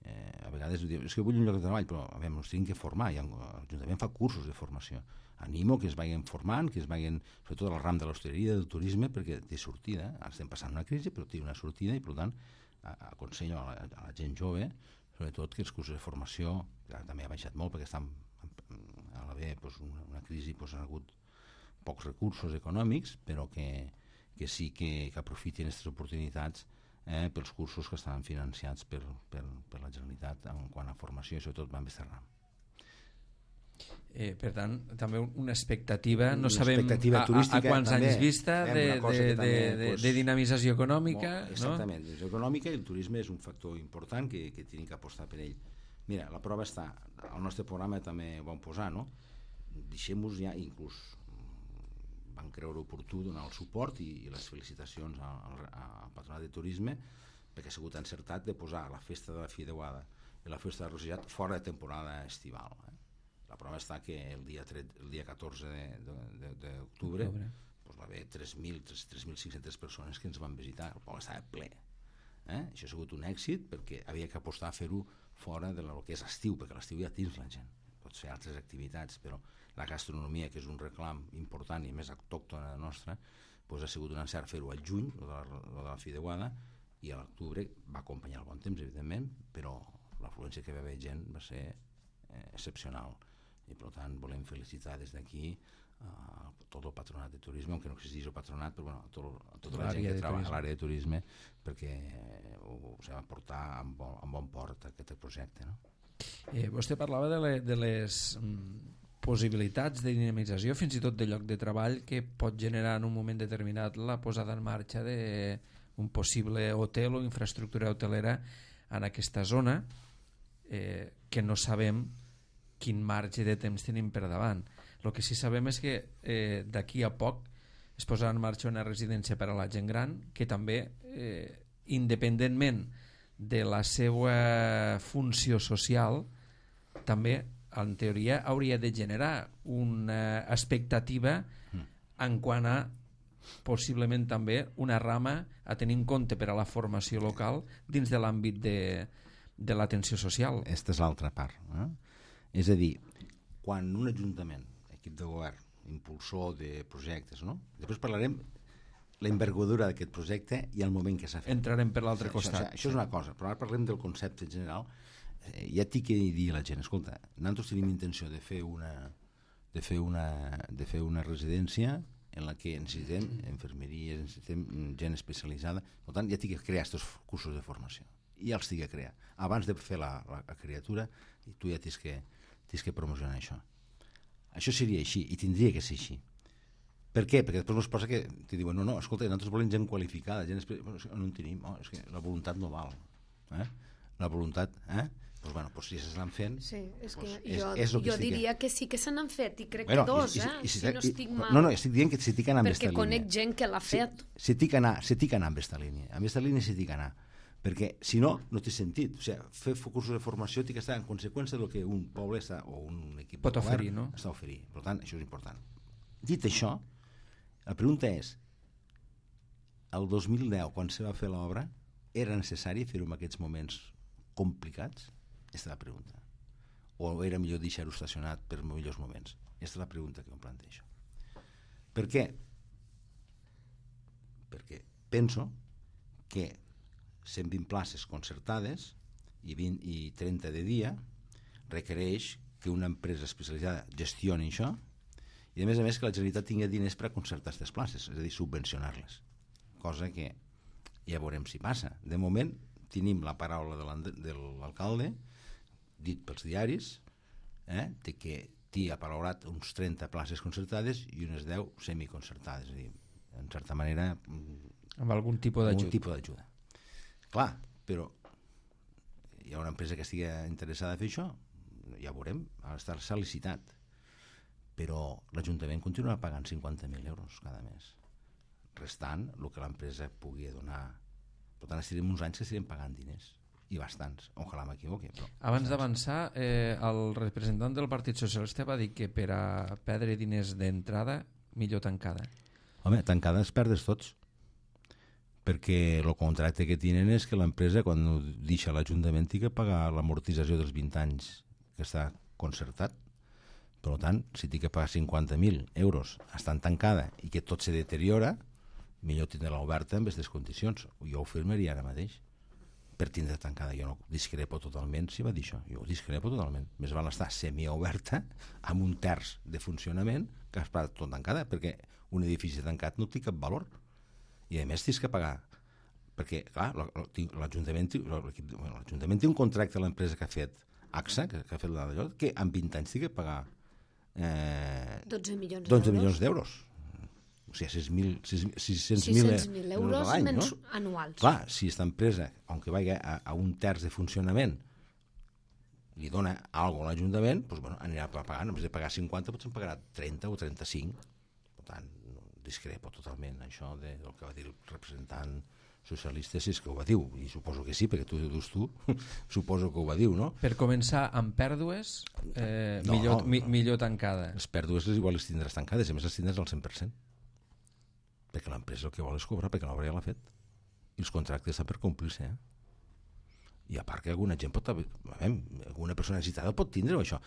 Speaker 2: Eh, a vegades diu, és que vull un lloc de treball, però a veure, ens tenim que formar, i l'Ajuntament fa cursos de formació. Animo que es vagin formant, que es vagin, sobretot al ram de l'hostaleria, del turisme, perquè té sortida. Ara estem passant una crisi, però té una sortida, i per tant aconsello a la, a la gent jove, sobretot que els cursos de formació, que també ha baixat molt perquè estan a l'haver doncs, una, una crisi, doncs, han hagut pocs recursos econòmics, però que, que sí que, que aprofitin aquestes oportunitats eh, pels cursos que estan financiats per, per, per la Generalitat en quant a formació i sobretot van Besterram.
Speaker 1: Eh, per tant, també una expectativa, no
Speaker 2: una
Speaker 1: sabem
Speaker 2: expectativa
Speaker 1: a, a, a quants
Speaker 2: també,
Speaker 1: anys vista de, de,
Speaker 2: també,
Speaker 1: de, de,
Speaker 2: pues,
Speaker 1: de dinamització econòmica.
Speaker 2: Molt, exactament, no? Econòmica, i el turisme és un factor important que, que tenim que apostar per ell. Mira, la prova està, al nostre programa també ho vam posar, no? Deixem-nos ja, inclús van creure oportú donar el suport i, i les felicitacions al, al Patronat de Turisme, perquè ha sigut encertat de posar la festa de la Fideuada i la festa de Roselllat fora de temporada estival. Eh? La prova està que el dia, el dia catorze d'octubre doncs va haver tres mil cinc-centes persones que ens van visitar, el poble estava ple. Eh? Això ha sigut un èxit perquè havia que apostar a fer-ho fora del que és estiu, perquè l'estiu ja tens la gent. Pots fer altres activitats, però la gastronomia, que és un reclam important i més autòctona nostra, doncs ha sigut un encert fer-ho al juny, de la, de la Fideuada, i a l'octubre va acompanyar el bon temps, evidentment, però l'afluència que va haver gent va ser eh, excepcional. I per tant volem felicitar des d'aquí a tot el patronat de turisme, aunque no existís el patronat, però bueno, tot, tota la gent que treballa a l'àrea de turisme, perquè ho, ho va portar amb bon, amb bon port aquest projecte. No?
Speaker 1: Eh, vostè parlava de, le, de les mm, possibilitats de dinamització, fins i tot de lloc de treball, que pot generar en un moment determinat la posada en marxa d'un possible hotel o infraestructura hotelera en aquesta zona, eh, que no sabem quin marge de temps tenim per davant. El que sí sabem és que eh, d'aquí a poc es posarà en marxa una residència per a la gent gran, que també, eh, independentment de la seva funció social, també, en teoria, hauria de generar una expectativa en quant a possiblement també una rama a tenir en compte per a la formació local dins de l'àmbit de, de l'atenció social.
Speaker 2: Aquesta és l'altra part. Eh? És a dir, quan un ajuntament, equip de govern, impulsor de projectes, no? Després parlarem la envergadura d'aquest projecte i el moment que s'ha fet.
Speaker 1: Entrarem per l'altre
Speaker 2: això,
Speaker 1: costat.
Speaker 2: Això, això és una cosa, però ara parlem del concepte en general. Eh, ja t'hi que dir a la gent, escolta, nosaltres tenim intenció de fer una, de fer una, de fer una residència en la que necessitem infermeria, necessitem gent especialitzada, per tant ja t'hi que crear aquests cursos de formació. I ja els t'hi que crear. Abans de fer la, la, la criatura, i tu ja t'has que, t'has que promocionar això. Això seria així, i tindria que ser així. Per què? Perquè després ens posa que te diuen, no, no, escolta, nosaltres volem gent qualificada, gent especialitzada. No en tenim, oh, és que la voluntat no val. Eh? La voluntat, eh? Pues bueno, pues si s'estan fent...
Speaker 3: Sí, és que
Speaker 2: pues
Speaker 3: jo,
Speaker 2: és, és
Speaker 3: jo diria que sí que se n'han fet, i crec
Speaker 2: bueno,
Speaker 3: que dos,
Speaker 2: i, i,
Speaker 3: eh?
Speaker 2: I, i,
Speaker 3: si,
Speaker 2: si,
Speaker 3: si no estic
Speaker 2: i,
Speaker 3: mal.
Speaker 2: No, no, estic dient que s'hi ha d'anar amb aquesta línia.
Speaker 3: Perquè conec gent que l'ha fet.
Speaker 2: S'hi ha d'anar, s'hi ha d'anar amb aquesta línia. Amb aquesta línia s'hi ha d'anar. Perquè, si no, no té sentit. O sigui, fer cursos de formació té que estar en conseqüència del que un poble està, o un equip
Speaker 1: pot
Speaker 2: de govern
Speaker 1: oferir, no?
Speaker 2: està oferint. Per tant, això és important. Dit això, la pregunta és, el dos mil deu, quan se va fer l'obra, era necessari fer-ho en aquests moments complicats? Aquesta és la pregunta. O era millor deixar-ho estacionat per millors moments? Aquesta és la pregunta que em plantejo. Per què? Perquè penso que cent vint places concertades i, vint, i trenta de dia requereix que una empresa especialitzada gestioni això i a més a més que la Generalitat tingui diners per a concertar aquestes places, és a dir, subvencionar-les, cosa que ja veurem si passa. De moment tenim la paraula de l'alcalde dit pels diaris, eh, de que té apalaurat uns trenta places concertades i unes deu semiconcertades, és a dir, en certa manera
Speaker 1: amb algun tipus
Speaker 2: algun tipus d'ajuda. Clar, però hi ha una empresa que estigui interessada a fer això, ja ho veurem, ha d'estar-se licitat, però l'Ajuntament continua pagant cinquanta mil euros cada mes, restant el que l'empresa pugui donar. Per tant, estirem uns anys que estirem pagant diners, i bastants, ojalà m'equivoqui.
Speaker 1: Abans d'avançar, eh, el representant del Partit Socialista va dir que per a perdre diners d'entrada, millor tancada.
Speaker 2: Home, tancada es perdes tots, perquè el contracte que tenen és que l'empresa, quan deixa l'Ajuntament, té que pagar l'amortització dels vint anys que està concertat. Per tant, si té que pagar cinquanta mil euros estant tancada i que tot se deteriora, millor tindre-la oberta en aquestes condicions. Jo ho firmaria ara mateix per tindre tancada. Jo no discrepo totalment si va dir això. Jo ho discrepo totalment. Més val estar semioberta amb un terç de funcionament que estar tot tancada, perquè un edifici tancat no té cap valor. I a més tens que pagar, perquè clar, l'Ajuntament l'Ajuntament té un contracte a l'empresa que ha fet A X A, que, que ha fet l'allò, que en vint anys té que pagar eh,
Speaker 3: dotze milions
Speaker 2: d'euros. O sigui, sis cents mil
Speaker 3: euros
Speaker 2: a l'any, no?
Speaker 3: anuals.
Speaker 2: Clar, si aquesta empresa, aunque vagi a, a un terç de funcionament, li dona alguna cosa a l'Ajuntament, doncs, bueno, anirà pagant, en vez de pagar cinquanta, potser en pagarà trenta o trenta-cinc. Per tant, discrepo totalment això de, del que va dir el representant socialista, si és que ho va dir, i suposo que sí, perquè tu ho dius tu, suposo que ho va dir, no?
Speaker 1: Per començar, amb pèrdues, eh,
Speaker 2: no,
Speaker 1: millor,
Speaker 2: no,
Speaker 1: mi,
Speaker 2: no.
Speaker 1: millor tancada.
Speaker 2: Les pèrdues les igual les tindràs tancades, a més les tindràs al cent per cent. Perquè l'empresa el que vol és cobrar, perquè l'obra ja l'ha fet. I els contractes estan per complir-se, eh? I a part que alguna gent pot haver, alguna persona necessitada pot tindre això.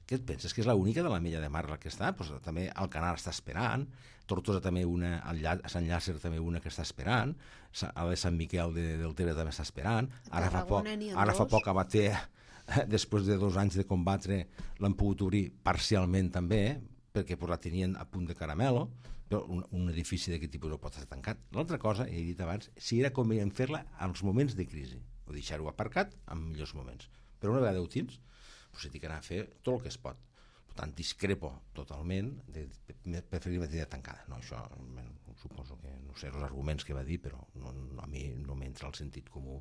Speaker 2: Què et penses, que és l'única de la Mella de Mar la que està? Pues també Alcanar està esperant, Tortosa també una, a Sant Llàcer també una que està esperant, a de Sant Miquel de, del Tere també està esperant, ara fa poc, ara fa poc a Bater, després de dos anys de combatre, l'han pogut obrir parcialment també, perquè pues, la tenien a punt de caramelo, però un, un edifici d'aquest tipus no pot estar tancat. L'altra cosa, he dit abans, si era convenient fer-la als moments de crisi, o deixar-ho aparcat en millors moments. Però una vegada ho tens, doncs s'ha d'anar a fer tot el que es pot. Per tant, discrepo totalment de preferir la idea tancada. No, això suposo que no sé els arguments que va dir, però no, no, a mi no m'entra el sentit comú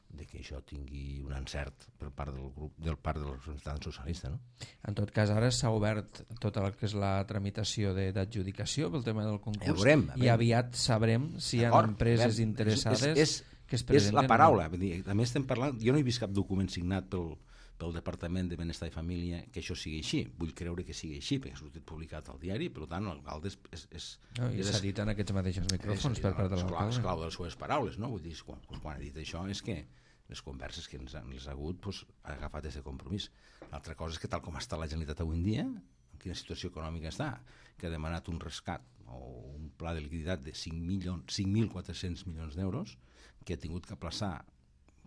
Speaker 2: de que això tingui un encert per part del grup, del part del representant socialista, no?
Speaker 1: En tot cas, ara s'ha obert tota el que és la tramitació d'adjudicació pel tema del concurs,
Speaker 2: ja veurem,
Speaker 1: i aviat sabrem si hi ha empreses interessades
Speaker 2: és, és,
Speaker 1: que es presenten.
Speaker 2: És la paraula. Vull dir, també estem parlant... Jo no he vist cap document signat pel, pel Departament de Benestar i Família que això sigui així. Vull creure que sigui així, perquè ha sortit publicat al diari, per tant, l'alcalde és... és, és,
Speaker 1: no, I s'ha dit en aquests mateixos micròfons per part de l'alcalde.
Speaker 2: Esclau de les seves paraules, no? Vull dir, quan, quan ha dit això és que les converses que ens han, els ha hagut doncs, ha agafat aquest compromís. L'altra cosa és que tal com està la Generalitat avui en dia, en quina situació econòmica està, que ha demanat un rescat o un pla de liquiditat de cinc mil quatre-cents milions d'euros, que ha tingut que aplaçar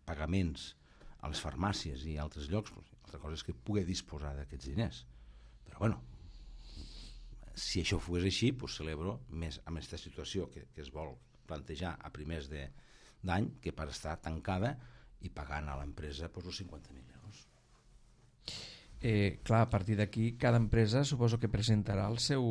Speaker 2: pagaments a les farmàcies i a altres llocs, pues, altra cosa és que pugui disposar d'aquests diners. Però bueno, si això fos així, pues, celebro més amb aquesta situació que, que es vol plantejar a primers d'any, que per estar tancada i pagant a l'empresa pues, els cinquanta mil euros.
Speaker 1: Eh, clar, a partir d'aquí cada empresa suposo que presentarà el seu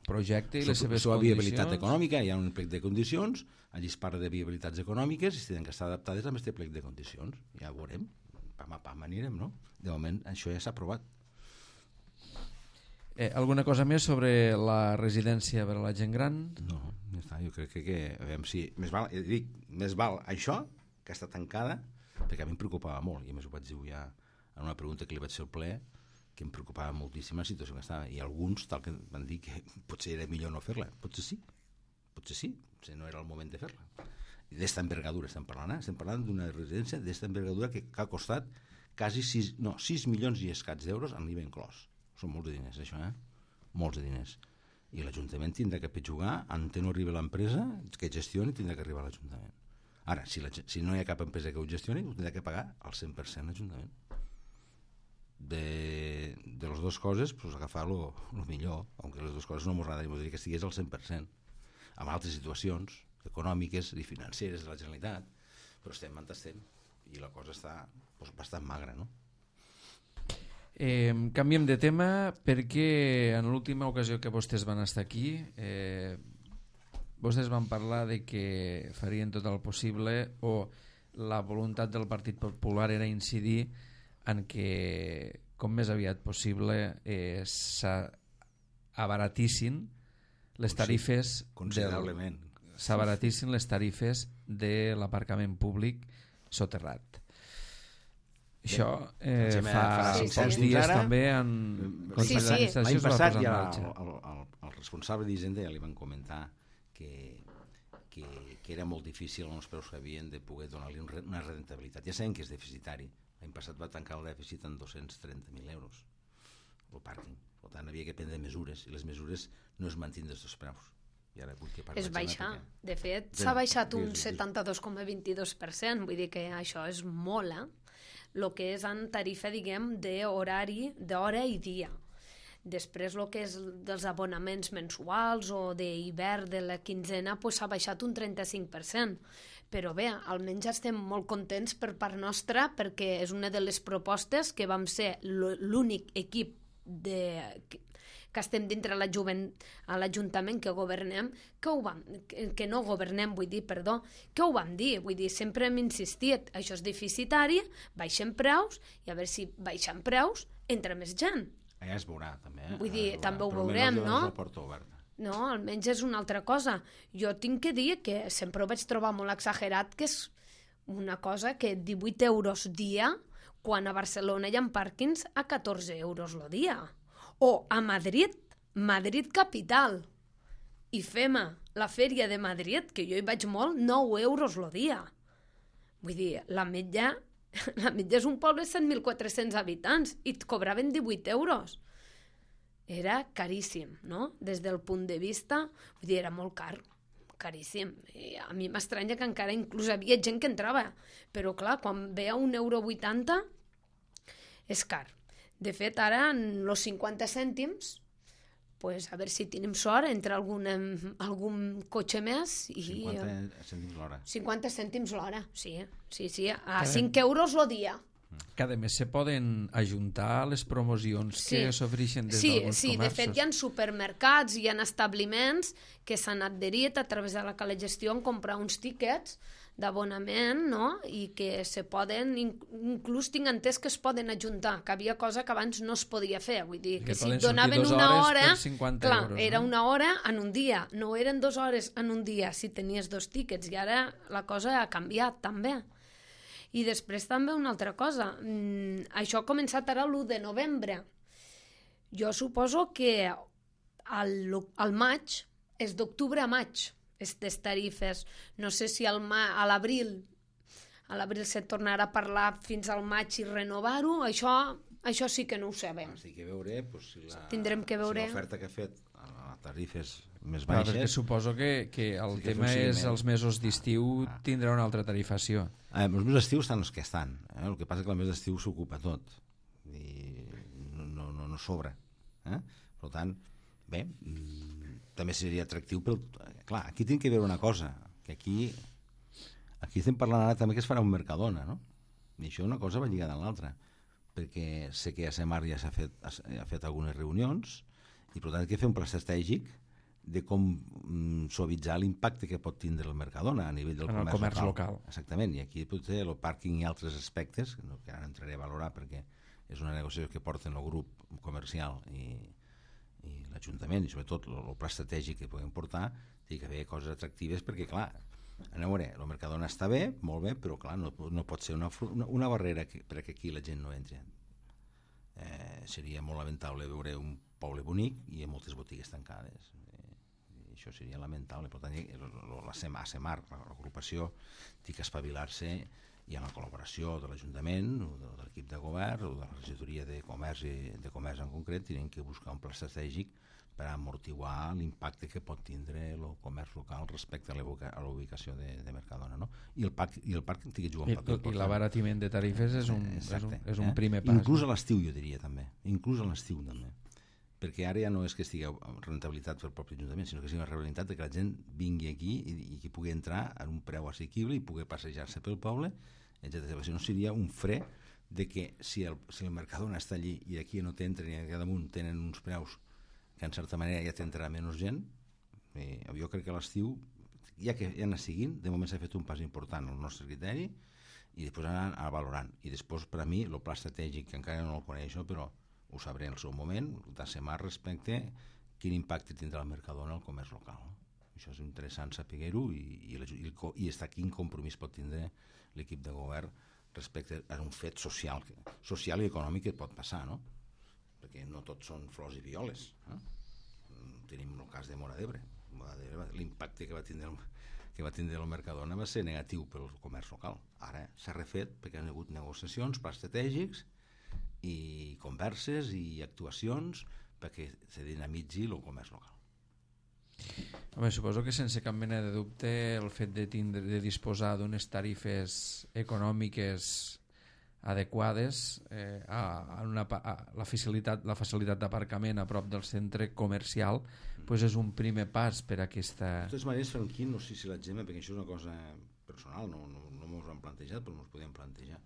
Speaker 1: projecte i les seves
Speaker 2: condicions. La viabilitat econòmica, hi ha un plec de condicions, allí es parla de viabilitats econòmiques i tenen que estar adaptades a aquest plec de condicions. Ja ho veurem, pam a pam anirem, no? De moment això ja s'ha aprovat.
Speaker 1: Eh, alguna cosa més sobre la residència per a la gent gran?
Speaker 2: No, ja està, jo crec que, que a veure, si, més val, dic, més val això que està tancada, perquè a mi em preocupava molt, i a més ho vaig dir ja en una pregunta que li vaig fer al ple, que em preocupava moltíssim la situació que estava, i alguns tal que van dir que potser era millor no fer-la. Potser sí, potser sí, potser no era el moment de fer-la. I d'esta envergadura estem parlant, eh? Estem parlant d'una residència d'esta envergadura que, que ha costat quasi sis, no, sis milions i escats d'euros amb l'I V A inclòs. Són molts de diners, això, eh? Molts de diners. I l'Ajuntament tindrà que jugar, en té no arriba l'empresa, que gestioni, tindrà que arribar a l'Ajuntament. Ara, si, la, si no hi ha cap empresa que ho gestioni, ho tindrà que pagar al cent per cent l'Ajuntament. De, de les dues coses, pues, agafar lo, lo millor, aunque les dues coses no m'ho agrada, m'ho diria que estigués al cent per cent. Amb altres situacions econòmiques i financeres de la Generalitat, però estem on estem, i la cosa està pues, bastant magra, no?
Speaker 1: Eh, canviem de tema perquè en l'última ocasió que vostès van estar aquí eh, vostès van parlar de que farien tot el possible o la voluntat del Partit Popular era incidir en que com més aviat possible eh, s'abaratissin les tarifes
Speaker 2: considerablement
Speaker 1: s'abaratissin les tarifes de l'aparcament públic soterrat. Això eh, fa
Speaker 2: sí,
Speaker 1: pocs
Speaker 3: sí.
Speaker 1: dies
Speaker 2: ara,
Speaker 1: també en
Speaker 3: sí, sí.
Speaker 1: l'any
Speaker 2: passat ja el, el, el, el responsable d'Hisenda ja li van comentar que, que, que era molt difícil els preus que havien de poder donar-li una rentabilitat. Ja sabem que és deficitari. L'any passat va tancar el dèficit en dos-cents trenta mil euros el pàrquing. Per tant, havia que prendre mesures i les mesures no es mantindre els preus. I ara vull que
Speaker 3: és baixar. De fet, s'ha baixat un setanta-dos coma vint-i-dos per cent. Vull dir que això és molt, eh? El que és en tarifa, diguem, d'horari, d'hora i dia. Després, el que és dels abonaments mensuals o d'hivern de la quinzena, pues, s'ha baixat un trenta-cinc per cent. Però bé, almenys estem molt contents per part nostra perquè és una de les propostes que vam ser l'únic equip de, que, que estem dintre la juvent, a l'Ajuntament que governem, que, ho vam, que, que no governem, vull dir, perdó, que ho vam dir, vull dir, sempre hem insistit, això és deficitari, baixem preus, i a veure si baixem preus entra més gent.
Speaker 2: Allà es veurà, també. Eh?
Speaker 3: Vull dir,
Speaker 2: veurà.
Speaker 3: també ho
Speaker 2: Però
Speaker 3: veurem, no?
Speaker 2: La porta oberta.
Speaker 3: No, almenys és una altra cosa. Jo tinc que dir que sempre ho vaig trobar molt exagerat, que és una cosa que divuit euros dia, quan a Barcelona hi ha pàrquings a catorze euros el dia. O a Madrid, Madrid capital, i fem la fèria de Madrid, que jo hi vaig molt, nou euros el dia. Vull dir, la Metlla, la Metlla és un poble de set mil quatre-cents habitants i et cobraven divuit euros. Era caríssim, no? Des del punt de vista, vull dir, era molt car, caríssim. I a mi m'estranya que encara inclús havia gent que entrava, però clar, quan ve a un euro vuitanta és car. De fet, ara, en els cinquanta cèntims, pues, a veure si tenim sort, entra algun, algun cotxe més i...
Speaker 2: cinquanta cèntims l'hora.
Speaker 3: cinquanta cèntims l'hora, sí, sí, sí, a cinc euros el dia.
Speaker 1: Que a més se poden ajuntar les promocions sí. que s'ofereixen des
Speaker 3: sí,
Speaker 1: d'alguns
Speaker 3: sí,
Speaker 1: comerços.
Speaker 3: De fet hi ha supermercats, hi ha establiments que s'han adherit a través de la Calegestió a comprar uns tíquets d'abonament, no? I que se poden, inclús tinc entès que es poden ajuntar, que havia cosa que abans no es podia fer, vull dir, que, que si et donaven una hora, clar, euros, era no? una hora en un dia, no eren dues hores en un dia si tenies dos tíquets, i ara la cosa ha canviat també. I després també una altra cosa, mm, això ha començat ara l'u de novembre. Jo suposo que al, al maig, és d'octubre a maig, aquestes tarifes. No sé si al ma, a l'abril a l'abril se tornarà a parlar fins al maig i renovar-ho. Això, això sí que no ho sabem.
Speaker 2: Ah, sí que veure, pues, si la,
Speaker 3: tindrem que veure.
Speaker 2: Si l'oferta que ha fet a les tarifes més
Speaker 1: Clar,
Speaker 2: baixes...
Speaker 1: perquè suposo que, que el sí que tema és els mesos d'estiu ah, tindrà una altra tarifació.
Speaker 2: Ah, els mesos d'estiu estan els que estan. Eh? El que passa és que el mes d'estiu s'ocupa tot i no, no, no, no sobra. Eh? Per tant, bé, també seria atractiu, però clar, aquí tinc que veure una cosa, que aquí aquí estem parlant ara també que es farà un Mercadona, no? I això una cosa va lligada a l'altra, perquè sé que a Semar ja s'ha fet, ha fet algunes reunions i per tant hay que fer un pla estratègic de com mm, suavitzar l'impacte que pot tindre el Mercadona a nivell del
Speaker 1: en
Speaker 2: comerç,
Speaker 1: comerç
Speaker 2: local.
Speaker 1: local.
Speaker 2: Exactament, i aquí potser el pàrquing i altres aspectes, que ara entraré a valorar perquè és una negociació que porten el grup comercial i i l'Ajuntament, i sobretot el, el pla estratègic que puguem portar, té que haver coses atractives perquè, clar, a veure, el Mercadona està bé, molt bé, però clar, no, no pot ser una, una, una barrera que, perquè aquí la gent no entri. Eh, seria molt lamentable veure un poble bonic i amb moltes botigues tancades. Eh, i això seria lamentable. Per tant, la Semar, l'agrupació, té que espavilar-se i amb la col·laboració de l'Ajuntament o de, de l'equip de govern o de la regidoria de comerç i de comerç en concret, tenen que buscar un pla estratègic per amortiguar l'impacte que pot tindre el comerç local respecte a la ubicació de, de Mercadona, no? I el parc, i el parc té que jugar un paper important.
Speaker 1: I l'abaratiment de tarifes és un,
Speaker 2: Exacte,
Speaker 1: és un, és un
Speaker 2: eh?
Speaker 1: primer pas.
Speaker 2: Inclús a l'estiu, jo diria també. Inclús a l'estiu també. Perquè ara ja no és que estigui rentabilitat pel propi Ajuntament, sinó que sigui una rentabilitat de que la gent vingui aquí i, i que pugui entrar a un preu assequible i pugui passejar-se pel poble, etcètera. Si no seria un fre de que si el, si el Mercadona està allí i aquí no t'entren i aquí damunt tenen uns preus que en certa manera ja t'entrarà menys gent, eh, jo crec que a l'estiu, ja que ja anar seguint, de moment s'ha fet un pas important al nostre criteri i després anar, anar valorant. I després, per a mi, el pla estratègic, que encara no el coneixo, però ho sabré en el seu moment, de Semar respecte quin impacte tindrà el Mercadona al comerç local. Això és interessant saber-ho i, i, i, i està quin compromís pot tindre l'equip de govern respecte a un fet social, social i econòmic que pot passar, no? Perquè no tots són flors i violes. Eh? Tenim el cas de Móra d'Ebre. L'impacte que va tindre el, que va tindre el Mercadona va ser negatiu pel comerç local. Ara s'ha refet perquè han hagut negociacions, plans estratègics i converses i actuacions perquè se dinamitzi el comerç local.
Speaker 1: Home, suposo que sense cap mena de dubte el fet de, tindre, de disposar d'unes tarifes econòmiques adequades eh, a, a, una, a la facilitat, la facilitat d'aparcament a prop del centre comercial mm. pues és un primer pas per a aquesta...
Speaker 2: De totes maneres, Franquín, no sé si l'exemple, perquè això és una cosa personal, no, no, no m'ho han plantejat, però m'ho podíem plantejar.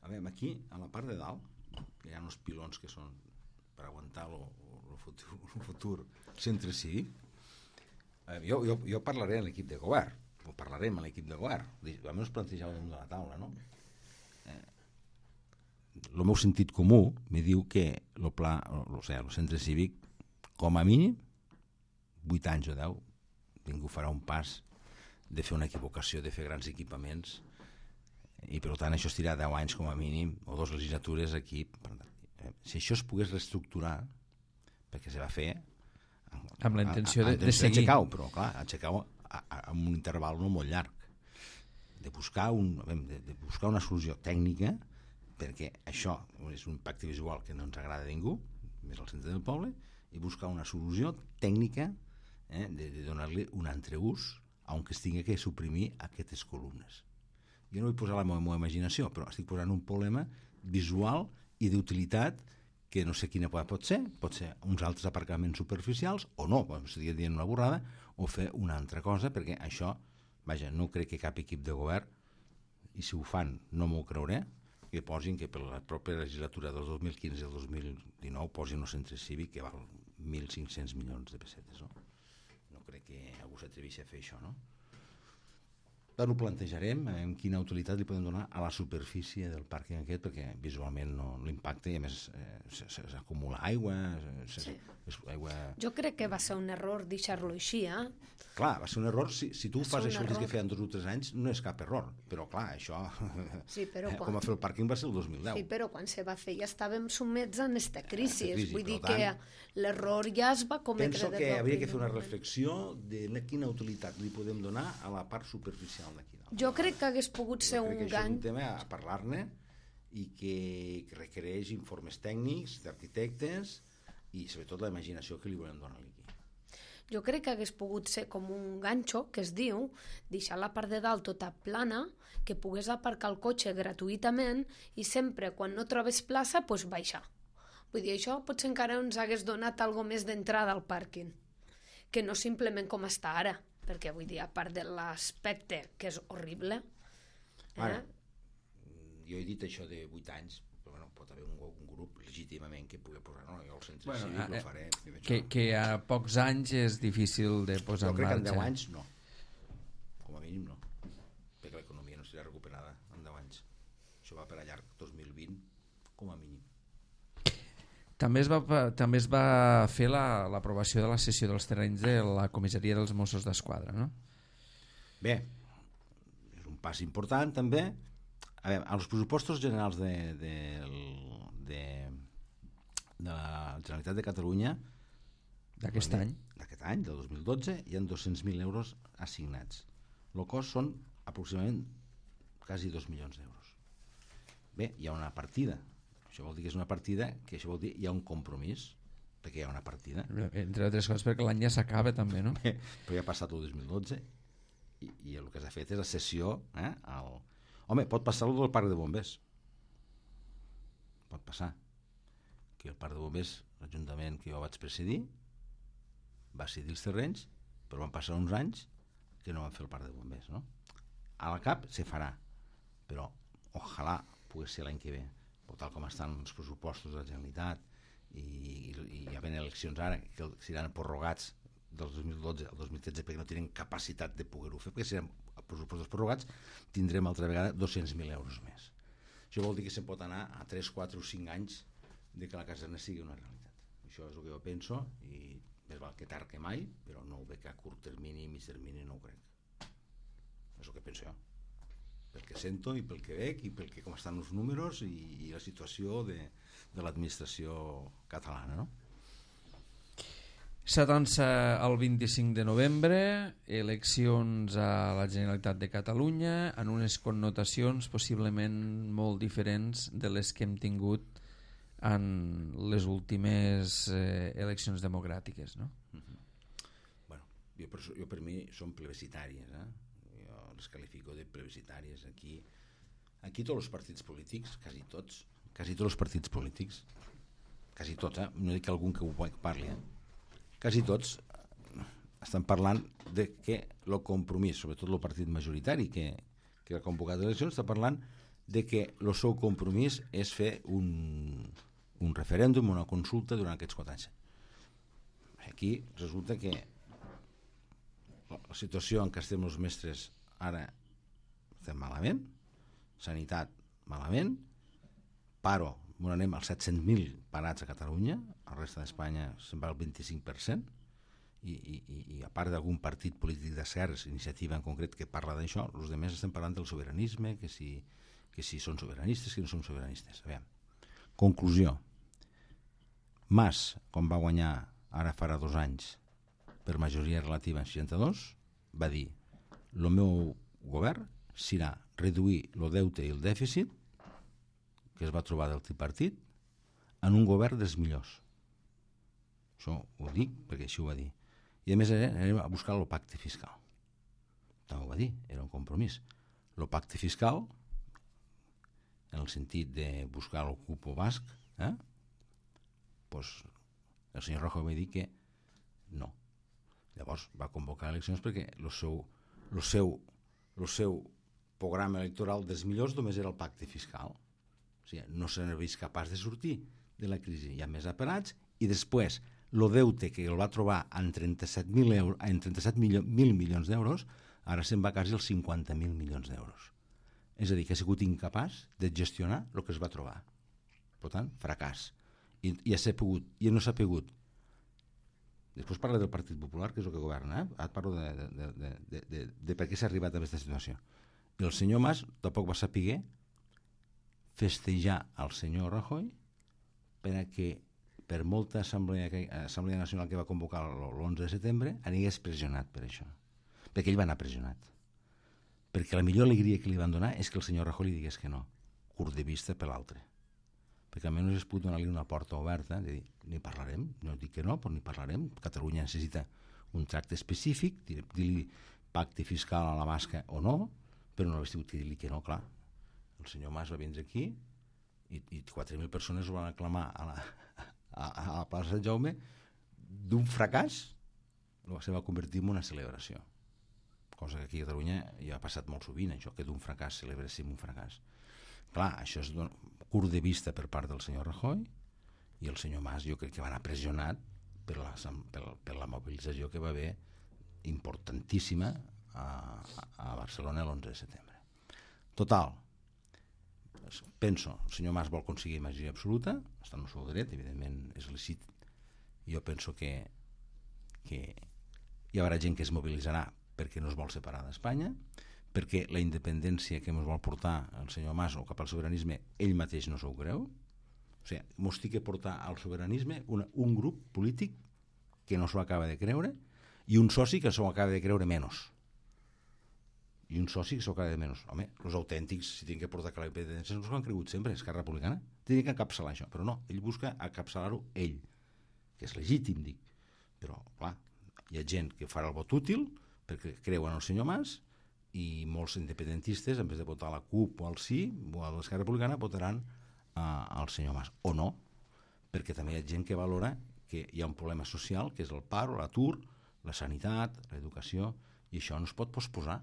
Speaker 2: A veure, aquí, a la part de dalt, hi ha uns pilons que són per aguantar el futur, futur centre cívic. Eh, jo, jo, jo parlaré amb l'equip de govern, o parlarem amb l'equip de govern, almenys plantejar damunt de la taula, no? Eh, el meu sentit comú me diu que el pla, o sigui, el centre cívic, com a mínim, vuit anys o deu, ningú farà un pas de fer una equivocació, de fer grans equipaments, i per tant això es tirarà deu anys com a mínim, o dues legislatures aquí. Si això es pogués reestructurar, perquè se va fer
Speaker 1: amb la intenció de,
Speaker 2: de
Speaker 1: seguir,
Speaker 2: aixecar-ho, però clar, aixecar-ho amb un interval no molt llarg, de buscar, un, de, de buscar una solució tècnica, perquè això és un impacte visual que no ens agrada a ningú, més al centre del poble, i buscar una solució tècnica, eh, de, de donar-li un entreús on es tingui que suprimir aquestes columnes. Jo no vull posar la meva, meva imaginació, però estic posant un problema visual i d'utilitat que no sé quina pot ser, pot ser uns altres aparcaments superficials o no, estic dient una borrada, o fer una altra cosa, perquè això, vaja, no crec que cap equip de govern, i si ho fan no m'ho creuré, que posin que per la pròpia legislatura del dos mil quinze al dos mil dinou posin un centre cívic que val mil cinc-cents milions de pessetes, no? No crec que algú s'atreveixi a fer això, no? Ara ho plantejarem, en quina utilitat li podem donar a la superfície del pàrquing aquest, perquè visualment no l'impacte, i a més eh, s'acumula aigua, sí. aigua...
Speaker 3: Jo crec que va ser un error deixar-lo així, eh?
Speaker 2: Clar, va ser un error, si, si tu
Speaker 3: va
Speaker 2: fas això
Speaker 3: error.
Speaker 2: que feien dos o tres anys, no és cap error, però clar, això,
Speaker 3: sí, però quan...
Speaker 2: com a fer el pàrquing va ser el dos mil deu.
Speaker 3: Sí, però quan se va fer ja estàvem sumets en aquesta crisi,
Speaker 2: crisi
Speaker 3: vull dir
Speaker 2: tant,
Speaker 3: que l'error ja es va cometre.
Speaker 2: Penso que hauria que fer una reflexió de quina utilitat li podem donar a la part superficial d'aquí.
Speaker 3: Jo crec que hagués pogut ser un gany...
Speaker 2: És un tema a parlar-ne i que, que requereix informes tècnics, d'arquitectes i sobretot la imaginació que li volem donar aquí.
Speaker 3: Jo crec que hagués pogut ser com un ganxo, que es diu, deixar la part de dalt tota plana, que pogués aparcar el cotxe gratuïtament i sempre, quan no trobes plaça, doncs baixar. Vull dir, això potser encara ens hagués donat algo més d'entrada al pàrquing, que no simplement com està ara, perquè vull dir, a part de l'aspecte, que és horrible... Eh?
Speaker 2: Ara, jo he dit això de vuit anys, però bueno, pot haver un, un grup legítimament que pugui posar, no, jo al centre bueno, cívic eh, ho faré.
Speaker 1: Que, que a pocs anys és difícil de posar en marxa.
Speaker 2: Jo crec que en deu anys no, com a mínim no, perquè l'economia no serà recuperada en deu anys. Això va per a llarg, dos mil vint, com a mínim.
Speaker 1: També es va, també es va fer l'aprovació la, de la cessió dels terrenys de la comissaria dels Mossos d'Esquadra, no?
Speaker 2: Bé, és un pas important també. A veure, als pressupostos generals de, de, de, de la Generalitat de Catalunya
Speaker 1: d'aquest any,
Speaker 2: d'aquest any, del dos mil dotze, hi ha dos-cents mil euros assignats. El cost són aproximadament quasi dos milions d'euros. Bé, hi ha una partida. Això vol dir que és una partida, que això vol dir hi ha un compromís, perquè hi ha una partida.
Speaker 1: Entre altres coses perquè l'any ja s'acaba també, no?
Speaker 2: Bé, però ja ha passat el dos mil dotze i, i el que s'ha fet és la cessió eh, al... Home, pot passar el del parc de bombers. Pot passar. Que el parc de bombers, l'Ajuntament que jo vaig presidir, va cedir els terrenys, però van passar uns anys que no van fer el parc de bombers, no? A la cap se farà, però ojalà pogués ser l'any que ve. O tal com estan els pressupostos de la Generalitat i, i, i hi ha ben eleccions ara que seran prorrogats del dos mil dotze al dos mil tretze perquè no tenen capacitat de poder-ho fer, perquè si seran pressupostos prorrogats tindrem altra vegada dos-cents mil euros més. Això vol dir que se'n pot anar a tres, quatre o cinc anys de que la caserna sigui una realitat. Això és el que jo penso i més val que tard que mai, però no ho veig a curt termini i mig termini, no ho crec. És el que penso jo, pel que sento i pel que veig i pel que com estan els números i, i la situació de, de l'administració catalana, no?
Speaker 1: S'atança el vint-i-cinc de novembre, eleccions a la Generalitat de Catalunya, en unes connotacions possiblement molt diferents de les que hem tingut en les últimes eh, eleccions democràtiques, no?
Speaker 2: Mm-hmm. Bueno, jo per, jo per mi són plebiscitàries, eh? Les qualifico de plebiscitàries. Aquí, aquí tots els partits polítics, quasi tots, quasi tots els partits polítics, quasi tots, eh? No dic algun que ho parli, eh? Quasi tots estan parlant de que el compromís, sobretot el partit majoritari que, que ha convocat eleccions, està parlant de que el seu compromís és fer un, un referèndum, una consulta durant aquests quatre anys. Aquí resulta que la situació en què estem els mestres ara estem malament, sanitat malament, paro, on anem als set-cents mil parats a Catalunya, a la resta d'Espanya se'n va al vint-i-cinc per cent, i, i, i a part d'algun partit polític d'esquerres, iniciativa en concret que parla d'això, els altres estem parlant del sobiranisme, que si, que si són sobiranistes, que no són sobiranistes. A veure, conclusió. Mas, quan va guanyar ara farà dos anys per majoria relativa en seixanta-dos, va dir: el meu govern serà reduir el deute i el dèficit que es va trobar del tripartit en un govern dels millors. Això ho dic perquè així ho va dir. I a més anem a buscar el pacte fiscal. També ho va dir, era un compromís. El pacte fiscal, en el sentit de buscar el cupo basc, eh? Pues el senyor Rajoy va dir que no. Llavors va convocar eleccions perquè el seu, el seu, el seu programa electoral dels millors només era el pacte fiscal. O sigui, no s'ha vist capaç de sortir de la crisi. Hi ha més apelats i després el deute que el va trobar en trenta-set mil euros, en trenta-set mil milions d'euros Ara se'n va quasi els cinquanta mil milions d'euros. És a dir, que ha sigut incapaç de gestionar el que es va trobar. Per tant, fracàs. I, i, ja pogut, i no s'ha pogut. Després parla del Partit Popular, que és el que governa. Eh? Ara parlo de, de, de, de, de, de, de per què s'ha arribat a aquesta situació. I el senyor Mas tampoc va saber festejar el senyor Rajoy perquè per molta assemblea, assemblea nacional que va convocar l'onze de setembre anigués pressionat per això. Perquè ell va anar pressionat. Perquè la millor alegria que li van donar és que el senyor Rajoy li digués que no, curt de vista per l'altre. Perquè almenys es pot donar-li una porta oberta de dir, ni parlarem, no dic que no, però ni parlarem. Catalunya necessita un tracte específic, dir-li pacte fiscal a la basca o no, però no hauria hagut de dir-li que no, clar. El senyor Mas va vindre aquí i, i quatre mil persones ho van aclamar a la, a, a la plaça de Jaume. D'un fracàs se va convertir en una celebració, cosa que aquí a Catalunya ja ha passat molt sovint, això, que d'un fracàs celebréssim un fracàs. Clar, això és don... curt de vista per part del senyor Rajoy, i el senyor Mas jo crec que va anar pressionat per la, per, per la mobilització que va haver importantíssima a, a Barcelona l'onze de setembre. Total, penso, el senyor Mas vol aconseguir majoria absoluta, està en el seu dret, evidentment és lícit. Jo penso que, que hi haurà gent que es mobilitzarà perquè no es vol separar d'Espanya, perquè la independència que ens vol portar el senyor Mas o cap al sobiranisme, ell mateix no s'ho creu. O sigui, ens té que portar al sobiranisme una, un grup polític que no s'ho acaba de creure i un soci que s'ho acaba de creure menys. I un soci que s'ho acaba de menys. Home, els autèntics, si tenen que portar la independència, no s'ho han cregut sempre, Esquerra Republicana. Tenen que encapçalar això, però no, ell busca encapçalar-ho ell, que és legítim, dic. Però, clar, hi ha gent que farà el vot útil perquè creuen el senyor Mas, i molts independentistes, en vez de votar a la CUP o al Sí o a l'Esquerra Republicana, votaran uh, al senyor Mas. O no, perquè també hi ha gent que valora que hi ha un problema social, que és el paro, l'atur, la sanitat, l'educació, i això no es pot posposar,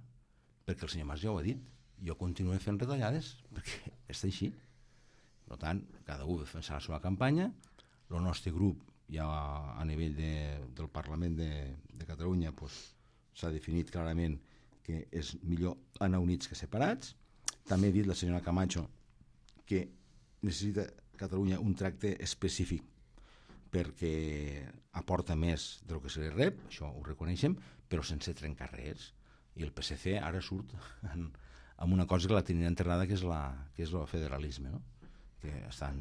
Speaker 2: perquè el senyor Mas ja ho ha dit. Jo continuo fent retallades, perquè està així. Per tant, cada un defensarà la seva campanya. El nostre grup, ja a nivell de, del Parlament de, de Catalunya, pues, s'ha definit clarament que és millor anar units que separats. També ha dit la senyora Camacho que necessita Catalunya un tracte específic perquè aporta més del que se li rep, això ho reconeixem, però sense trencar res. I el P S C ara surt en, amb una cosa que la tenia enterrada, que és, la, que és el federalisme, no? Que estan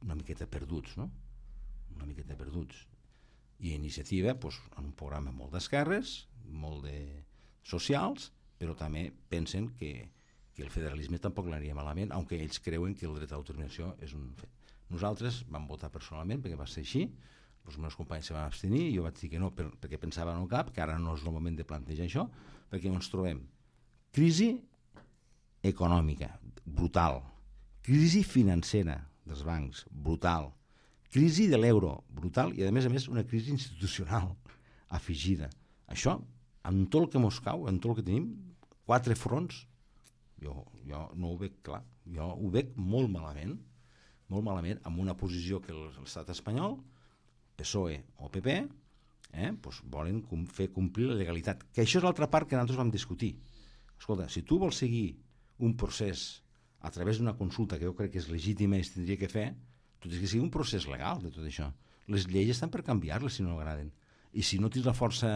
Speaker 2: una miqueta perduts, no? Una miqueta perduts. I Iniciativa, doncs, en un programa molt d'esquerres, molt de socials, però també pensen que, que el federalisme tampoc l'aniria malament, aunque ells creuen que el dret a l'autodeterminació és un fet. Nosaltres vam votar personalment perquè va ser així, els meus companys se van abstenir, jo vaig dir que no per, perquè pensava en el cap, que ara no és el moment de plantejar això, perquè ens trobem crisi econòmica brutal, crisi financera dels bancs brutal, crisi de l'euro brutal i a més a més una crisi institucional afegida. Això amb tot el que mos cau, amb tot el que tenim, quatre fronts, jo, jo no ho veig clar, jo ho veig molt malament, molt malament, amb una posició que l'estat espanyol, P S O E o P P, eh, doncs volen com, fer complir la legalitat, que això és l'altra part que nosaltres vam discutir. Escolta, si tu vols seguir un procés a través d'una consulta que jo crec que és legítima i es tindria que fer, tu tens que seguir un procés legal de tot això. Les lleis estan per canviar-les si no agraden. I si no tens la força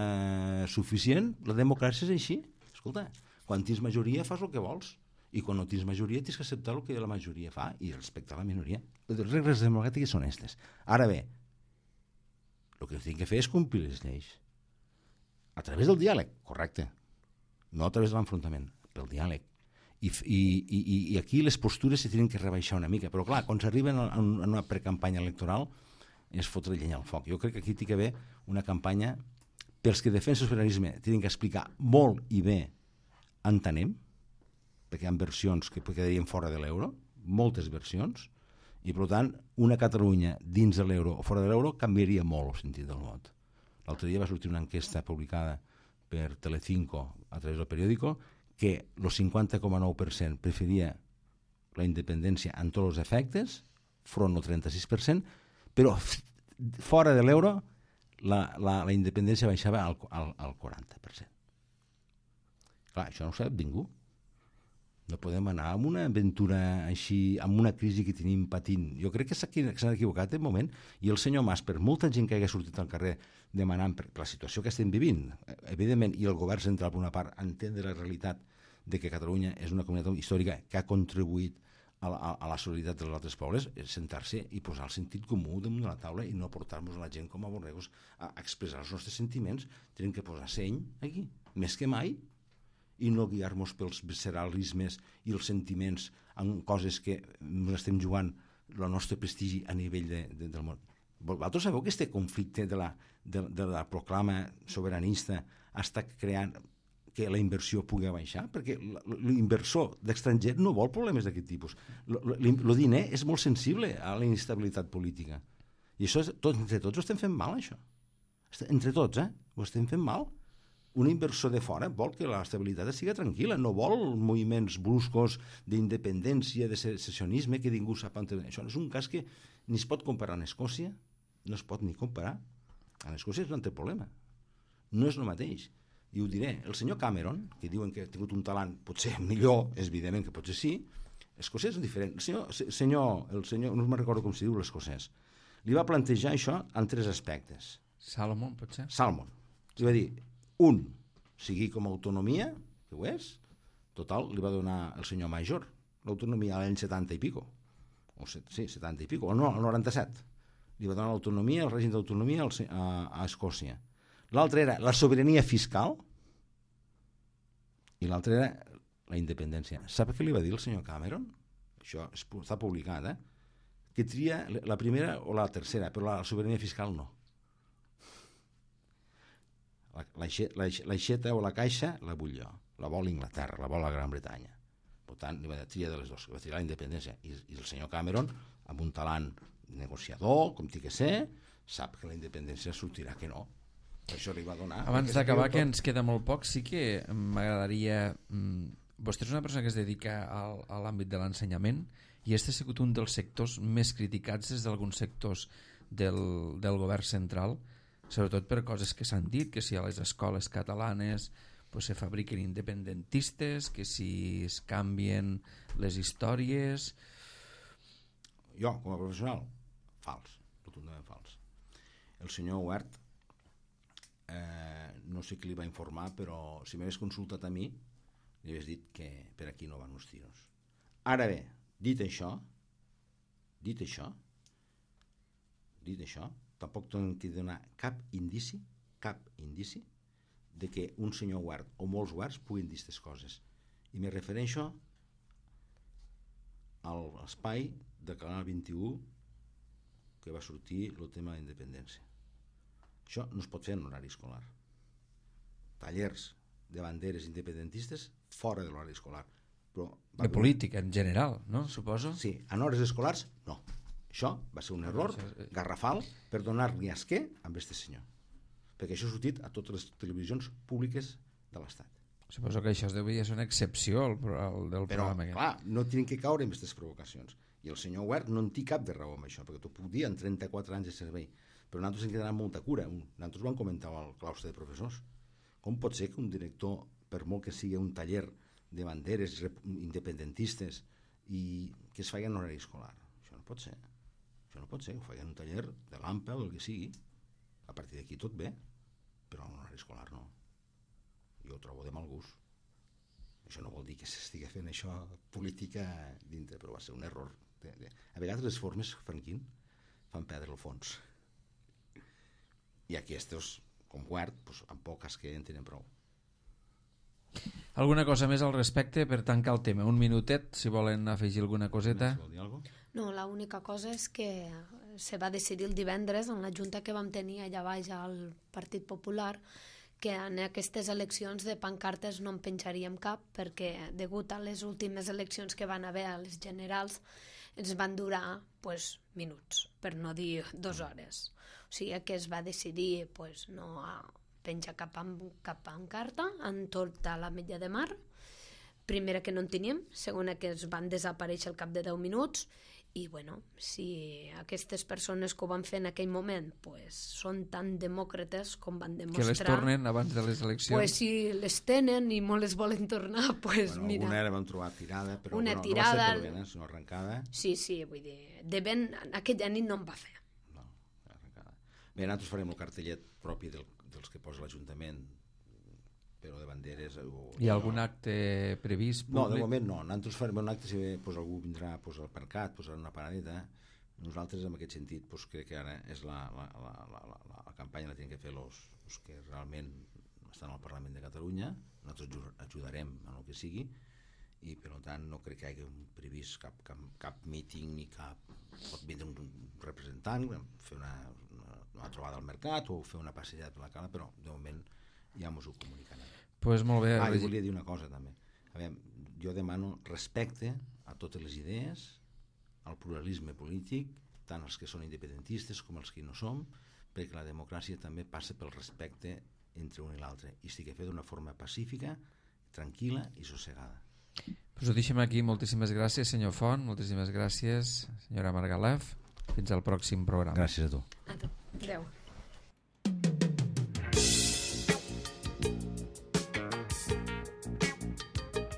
Speaker 2: suficient, la democràcia és així. Escolta, quan tens majoria fas el que vols, i quan no tens majoria tens que acceptar el que la majoria fa i respectar la minoria. Les regles democràtiques són aquestes. Ara bé, el que tinc que fer és complir les lleis. A través del diàleg, correcte. No a través de l'enfrontament, pel diàleg. I, i, i, i aquí les postures se tenen que rebaixar una mica, però clar, quan s'arriben a una precampanya electoral és fotre llenya al foc. Jo crec que aquí té que haver una campanya pels que defensen el sobiranisme, tenen que explicar molt i bé entenem, perquè hi ha versions que quedarien fora de l'euro, moltes versions, i per tant una Catalunya dins de l'euro o fora de l'euro canviaria molt el sentit del vot. L'altre dia va sortir una enquesta publicada per Telecinco a través del periòdico que el cinquanta coma nou per cent preferia la independència en tots els efectes, front al trenta-sis per cent, però fora de l'euro la, la, la independència baixava al, al, al quaranta per cent. Clar, això no ho sap ningú. No podem anar amb una aventura així, amb una crisi que tenim patint. Jo crec que s'han equivocat en moment, i el senyor Mas, per molta gent que hagi sortit al carrer demanant per, per la situació que estem vivint, evidentment, i el govern central, per una part, entendre la realitat de que Catalunya és una comunitat històrica que ha contribuït a la, a la solidaritat dels altres pobles, és sentar-se i posar el sentit comú damunt de la taula i no portar-nos a la gent com a borregos a expressar els nostres sentiments. Tenim que posar seny aquí, més que mai, i no guiar-nos pels visceralismes i els sentiments en coses que ens estem jugant el nostre prestigi a nivell de, de, del món. Vosaltres sabeu que aquest conflicte de la, de, de la proclama sobiranista està creant que la inversió pugui baixar? Perquè l'inversor d'estranger no vol problemes d'aquest tipus. El diner és molt sensible a la inestabilitat política. I això, tot, entre tots, ho estem fent mal, això. Entre tots, eh? Ho estem fent mal. Un inversor de fora vol que l'estabilitat sigui tranquil·la, no vol moviments bruscos d'independència, de secessionisme, que ningú sap on... Això és un cas que ni es pot comparar amb Escòcia, no es pot ni comparar. A Escòcia és un altre problema. No és el mateix. I ho diré, el senyor Cameron, que diuen que ha tingut un talent potser millor, és evident que potser sí, escocès és diferent. El senyor, senyor, el senyor, no me'n recordo com s'hi diu l'escocès, li va plantejar això en tres aspectes.
Speaker 1: Salomon, potser?
Speaker 2: Salomon. Li va dir, un, sigui com a autonomia, que ho és, total, li va donar el senyor Major, l'autonomia a l'any setanta i pico, o set, sí, setanta i pico, o no, al noranta-set. Li va donar l'autonomia, el règim d'autonomia a, a Escòcia. L'altre era la sobirania fiscal i l'altre era la independència. Sap què li va dir el senyor Cameron? Això està publicat, eh? Que tria la primera o la tercera, però la sobirania fiscal no. L'aixeta o la caixa la vull jo, la vol Inglaterra, la vol la Gran Bretanya. Per tant, li va dir tria de les dues, li va triar la independència. I, i el senyor Cameron, amb un talent negociador, com té que ser, sap que la independència sortirà que no. Això li va donar.
Speaker 1: Abans d'acabar, que ens queda molt poc, sí que m'agradaria... Vostè és una persona que es dedica al, a l'àmbit de l'ensenyament i este ha sigut un dels sectors més criticats des d'alguns sectors del, del govern central, sobretot per coses que s'han dit, que si a les escoles catalanes pues, se fabriquen independentistes, que si es canvien les històries...
Speaker 2: Jo, com a professional, fals, rotundament fals. El senyor Huert, eh, no sé qui li va informar, però si m'hagués consultat a mi, li hagués dit que per aquí no van els tiros. Ara bé, dit això, dit això, dit això, tampoc tenim que donar cap indici, cap indici, de que un senyor Huert o molts Huerts puguin dir aquestes coses. I me refereixo a l'espai de Canal vint-i-u que va sortir el tema de independència. Això no es pot fer en horari escolar. Tallers de banderes independentistes fora de l'horari escolar. Però
Speaker 1: de política en general, no? Suposo?
Speaker 2: Sí, en hores escolars no. Això va ser un error garrafal per donar-li esquer amb este senyor. Perquè això ha sortit a totes les televisions públiques de l'Estat.
Speaker 1: Suposo que això devia ser una excepció al, al, del
Speaker 2: Però,
Speaker 1: programa.
Speaker 2: Però, clar, no tenen que caure en aquestes provocacions. I el senyor Huert no en té cap de raó amb això, perquè t'ho puc dir en trenta-quatre anys de servei. Però nosaltres hem de donar molta cura. Nosaltres ho vam comentar al claustre de professors. Com pot ser que un director, per molt que sigui un taller de banderes independentistes i que es faci en horari escolar? Això no pot ser. Això no pot ser, ho faci en un taller de l'AMPA o del que sigui. A partir d'aquí tot bé, però en horari escolar no. Jo ho trobo de mal gust. Això no vol dir que s'estigui fent això política dintre, però va ser un error. De, de... A vegades les formes, Franquín, fan perdre el fons. I aquests, com Huert, doncs, amb poques que en tenen prou.
Speaker 1: Alguna cosa més al respecte per tancar el tema? Un minutet, si volen afegir alguna coseta.
Speaker 3: No, l'única cosa és que se va decidir el divendres en la junta que vam tenir allà baix al Partit Popular que en aquestes eleccions de pancartes no en penjaríem cap perquè degut a les últimes eleccions que van haver a les generals ens van durar pues, minuts, per no dir dues hores. O sigui que es va decidir pues, no penjar cap, cap pancarta en tota la Metlla de Mar. Primera que no en teníem, segona que es van desaparèixer al cap de deu minuts I, bueno, si aquestes persones que ho van fer en aquell moment pues, són tan demòcrates com van demostrar...
Speaker 1: Que les tornen abans de les eleccions?
Speaker 3: Pues, si les tenen i molt les volen tornar, pues,
Speaker 2: bueno,
Speaker 3: mira...
Speaker 2: Alguna era vam trobar tirada, però
Speaker 3: una
Speaker 2: bueno,
Speaker 3: tirada...
Speaker 2: no va ser per vent, eh, sinó arrencada.
Speaker 3: Sí, sí, vull dir, de vent aquella nit no em va fer.
Speaker 2: No, arrencada. Bé, nosaltres farem el cartellet propi del, dels que posa l'Ajuntament, però de banderes... O,
Speaker 1: Hi ha algun acte previst públic?
Speaker 2: No, de moment no. Nosaltres farem un acte, si bé pues, algú vindrà pues, al Percat, posarà una paradeta. Nosaltres, en aquest sentit, pues, crec que ara és la, la, la, la, la, la campanya la tenen que fer els que realment estan al Parlament de Catalunya. Nosaltres ajudarem en el que sigui i, per tant, no crec que hi hagi previst cap, cap, cap míting ni cap... Pot vindre un representant, fer una, una, una trobada al Mercat o fer una passejada per la cala, però, de moment, ja mos ho comunicaran.
Speaker 1: Pues molt bé.
Speaker 2: Ah, i volia dir una cosa també. A veure, jo demano respecte a totes les idees, al pluralisme polític, tant els que són independentistes com els que no som, perquè la democràcia també passa pel respecte entre un i l'altre i estic fet d'una forma pacífica, tranquil·la i sossegada.
Speaker 1: Pues ho deixem aquí. Moltíssimes gràcies, senyor Font, moltíssimes gràcies, senyora Margalef. Fins al pròxim programa.
Speaker 2: Gràcies a tu.
Speaker 3: A tu. Adéu.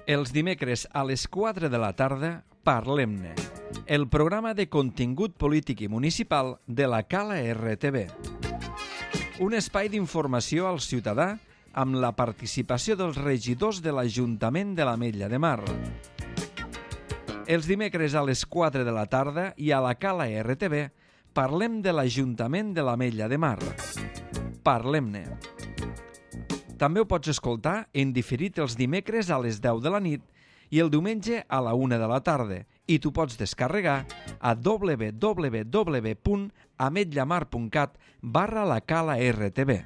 Speaker 1: Els dimecres a les quatre de la tarda, Parlem-ne, el programa de contingut polític i municipal de la Cala R T V. Un espai d'informació al ciutadà amb la participació dels regidors de l'Ajuntament de l'Ametlla de Mar. Els dimecres a les quatre de la tarda i a la Cala R T V parlem de l'Ajuntament de l'Ametlla de Mar. Parlem-ne. També ho pots escoltar en diferit els dimecres a les deu de la nit i el diumenge a la una de la tarda i t'ho pots descarregar a w w w punt ametlla mar punt cat barra la cala R T V.